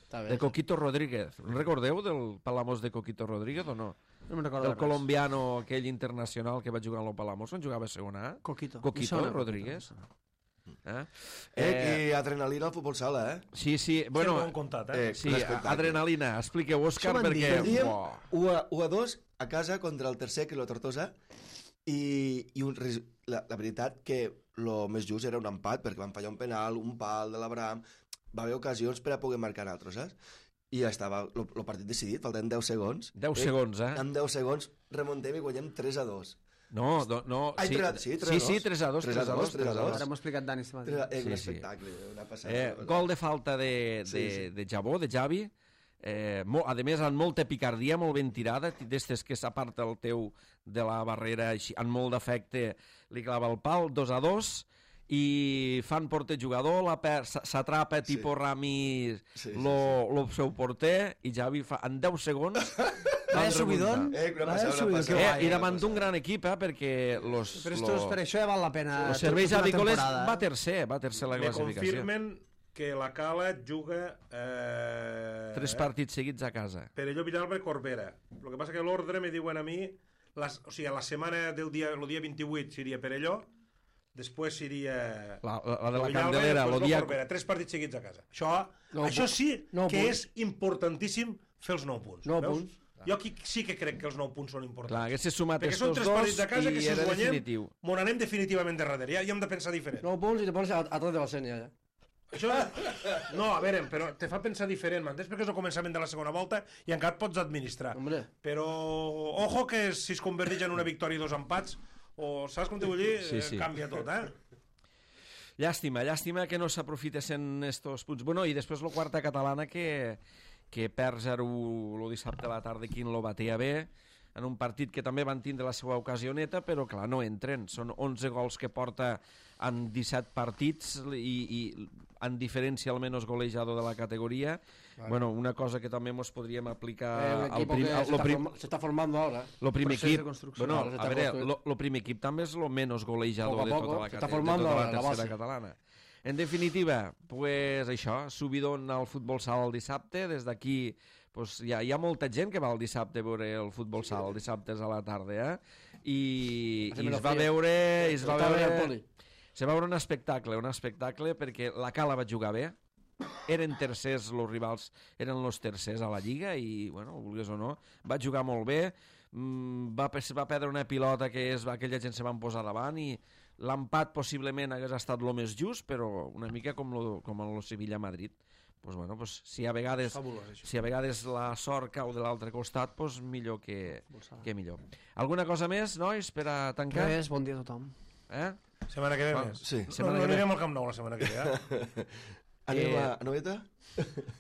Està bé. De Coquito Rodríguez. Recordeu del Palamós de Coquito Rodríguez o no? No me'n recordo Del res. colombiano aquell internacional que va jugar a lo Palamós, on jugava a segona A? Coquito. Coquito Em sona, Rodríguez. Eh? Eh, i adrenalina al futbol sala, eh? Sí, sí, Bueno, bueno, ho hem contat, eh? eh, sí, un espectacle. adrenalina. Expliqueu, Òscar, Això m'han dit. perquè... Perdíem Uah. u a, u a dos a casa contra el tercer, que és la Tortosa, i, i un, res- la, la veritat que el més just era un empat, perquè van fallar un penal, un pal de l'Abraham, va haver ocasions per a poder marcar altres, saps? I ja estava el partit decidit, faltaven deu segons. deu segons, eh? En deu segons remuntem i guanyem tres a dos. No, do, no, Ai, sí, tres a- sí, tres a sí, dos. sí, tres a dos, tres tres a a dos, dos, tres a dos. Ara m'ho ha explicat Dani este matí. Tres a- Eh, Sí, un sí. espectacle, una passada. Eh, gol de falta de, de, Sí, sí. de Jabó, de Javi. Eh, molt, a més, amb molta picardia, molt ben tirada, d'estes que s'aparta el teu de la barrera, així, amb molt d'efecte, li clava el pal, dos a dos, i fan porter jugador, la per- s'atrapa Sí. tipus Rami Sí, sí, lo, lo seu porter, i Javi fa, en deu segons Vaya van subidón. remuntar. Eh, una Vaya passada, una subidón, passada. que Eh, guai, I eh, davant d'un gran equip, eh, perquè los, Però esto, per això ja val la pena. los serveis tota una avícoles temporada, va eh? tercer, va tercer la Me classificació. confirmen que la Cala juga... Eh, Tres partits seguits a casa. Perelló, Villalba i Corbera. El que passa que l'ordre me diuen a mi... Les, o sigui, a la setmana del dia, el dia vint-i-vuit seria Perelló, després seria... La, la, la de la Villalba i Candelera, després el dia... Corbera. Tres partits seguits a casa. Això, Nou això punts. sí Nou que punts. és importantíssim fer els nou punts. Nou veus? punts. Jo aquí sí que crec que els nou punts són importants. Clar, haguessis sumat Perquè estos són tres dos partits de casa que i si els era guanyem, definitiu. mon anem definitivament de darrere. Ja hi hem de pensar diferent. Nou punts i te pones a, a tres de la Sènia, ja. Això... No, a veure, però te fa pensar diferent, m'entens? Perquè és el començament de la segona volta i encara et pots administrar. Hombre. Però, ojo, que si es converteix en una victòria i dos empats, o saps com te vull dir, Sí, sí. canvia tot, eh? Llàstima, llàstima que no s'aprofitessin estos punts. Bueno, i després la quarta catalana que, que perd zero el dissabte a la tarda, quin lo batea bé, en un partit que també van tindre la seva ocasioneta, però clar, no entren. Són onze gols que porta en disset partits i, i en diferència al menys golejador de la categoria. Vale. Bueno, una cosa que també ens podríem aplicar Eh, al prim, que al, se, lo está prim, forma, se está formando ahora. lo primer Procés de equip. construcció. Bueno, Claro, se a está veure, construint. lo, lo primer equip també és el menys golejador Poco a de poco, tota la, se está cate- de formando tota la la- la tercera base. catalana. En definitiva, pues això, subidon al futbol sala el dissabte. Des d'aquí pues, hi, ha, hi ha molta gent que va el dissabte a veure el futbol sala, el dissabte a la tarda, eh? I, Así i me lo es va fío. veure... i Es va Estava bé el veure... poli. Se va veure un espectacle, un espectacle perquè la Cala va jugar bé, eren tercers, els rivals eren els tercers a la Lliga i, bueno, vulguis o no, va jugar molt bé, mm, va, va perdre una pilota que és, aquella gent se van posar davant i l'empat possiblement hagués estat el més just, però una mica com lo, com el Sevilla-Madrid. Pues, bueno, pues, si, a vegades, Fabulós, això. si a vegades la sort cau de l'altre costat, pues, millor que, que millor. Alguna cosa més, nois, per a tancar? Res, bon dia a tothom. Eh? Setmana que ve Va, més. sí. No, Setmana no que ve. anirem al Camp Nou la setmana que ve, eh? Anem Eh, a Noeta?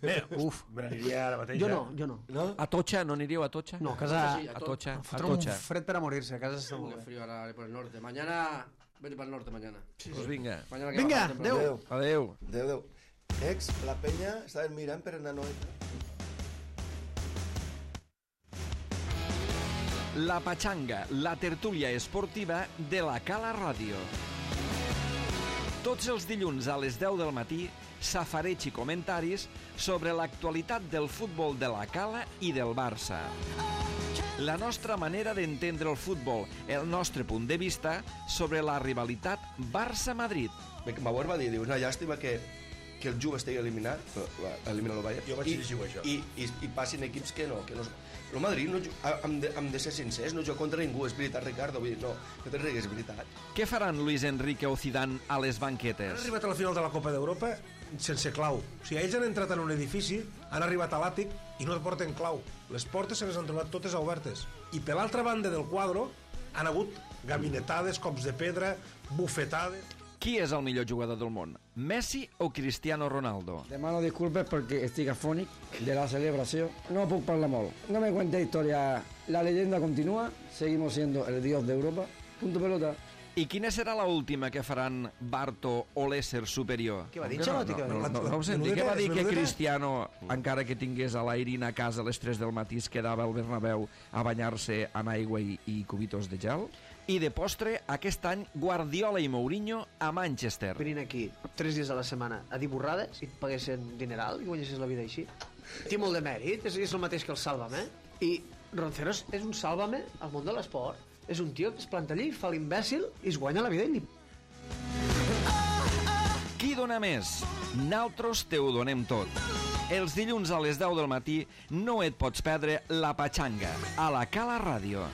Bé, uf, me n'aniria ara mateix. Jo eh? no, jo no. No? A Tocha, no anireu a Tocha? No, a casa... Sí, A Tocha, a Fotre un Tocha. fred per a morir-se, a casa està Uh, molt qué bé. frío ahora por el norte. Mañana, vete para el norte mañana. Pues vinga. Mañana que Vinga, baja temprano. adeu. Adeu. Déu, Déu. Ex, la penya estaven mirant per anar a Noeta. La Pachanga, la tertúlia esportiva de la Cala Ràdio. Tots els dilluns a les deu del matí, safareig i comentaris sobre l'actualitat del futbol de la Cala i del Barça. La nostra manera d'entendre el futbol, el nostre punt de vista sobre la rivalitat Barça-Madrid. Bauer va dir, diu, una llàstima que, que el Juve estigui eliminat, elimina el Bayern, Jo vaig i, llegir això. i, i, i passin equips que no, que no... El Madrid, no, ju- hem, de, hem de ser sincers, no juga contra ningú, és veritat, Ricardo, vull dir, no, no te rigues, és veritat. Què faran Luis Enrique o Zidane a les Han banquetes? arribat a la final de la Copa d'Europa sense clau. O sigui, ells han entrat en un edifici, han arribat a l'àtic i no porten clau. Les portes se les han trobat totes obertes. I per l'altra banda del quadre han hagut gabinetades, cops de pedra, bufetades... Qui és el millor jugador del món? Messi o Cristiano Ronaldo? Demano disculpes perquè estic afònic de la celebració. No puc parlar molt. No me cuente historia. La leyenda continúa. Seguimos siendo el dios de Europa. Punto pelota. I quina serà la última que faran Barto o l'ésser superior? Què va dir, No, Xalotti? no, que No, va dir? no, no, no ho senti, Menudeta què va dir és, que menudeta? Cristiano, encara que tingués a l'Airin a casa a les tres del matí, es quedava al Bernabéu a banyar-se en aigua i, i cubitos de gel? I de postre, aquest any, Guardiola i Mourinho a Manchester. Venint aquí tres dies a la setmana a dir borrades i et paguessin dineral i guanyessis la vida així. Té molt de mèrit, és, és el mateix que el Sálvame. I Ronceros és un Sálvame al món de l'esport. És un tio que es planta allí, fa l'imbècil i es guanya la vida i li... Qui dona més? Naltros te ho donem tot. Els dilluns a les deu del matí no et pots perdre La Pachanga a la Cala Ràdio.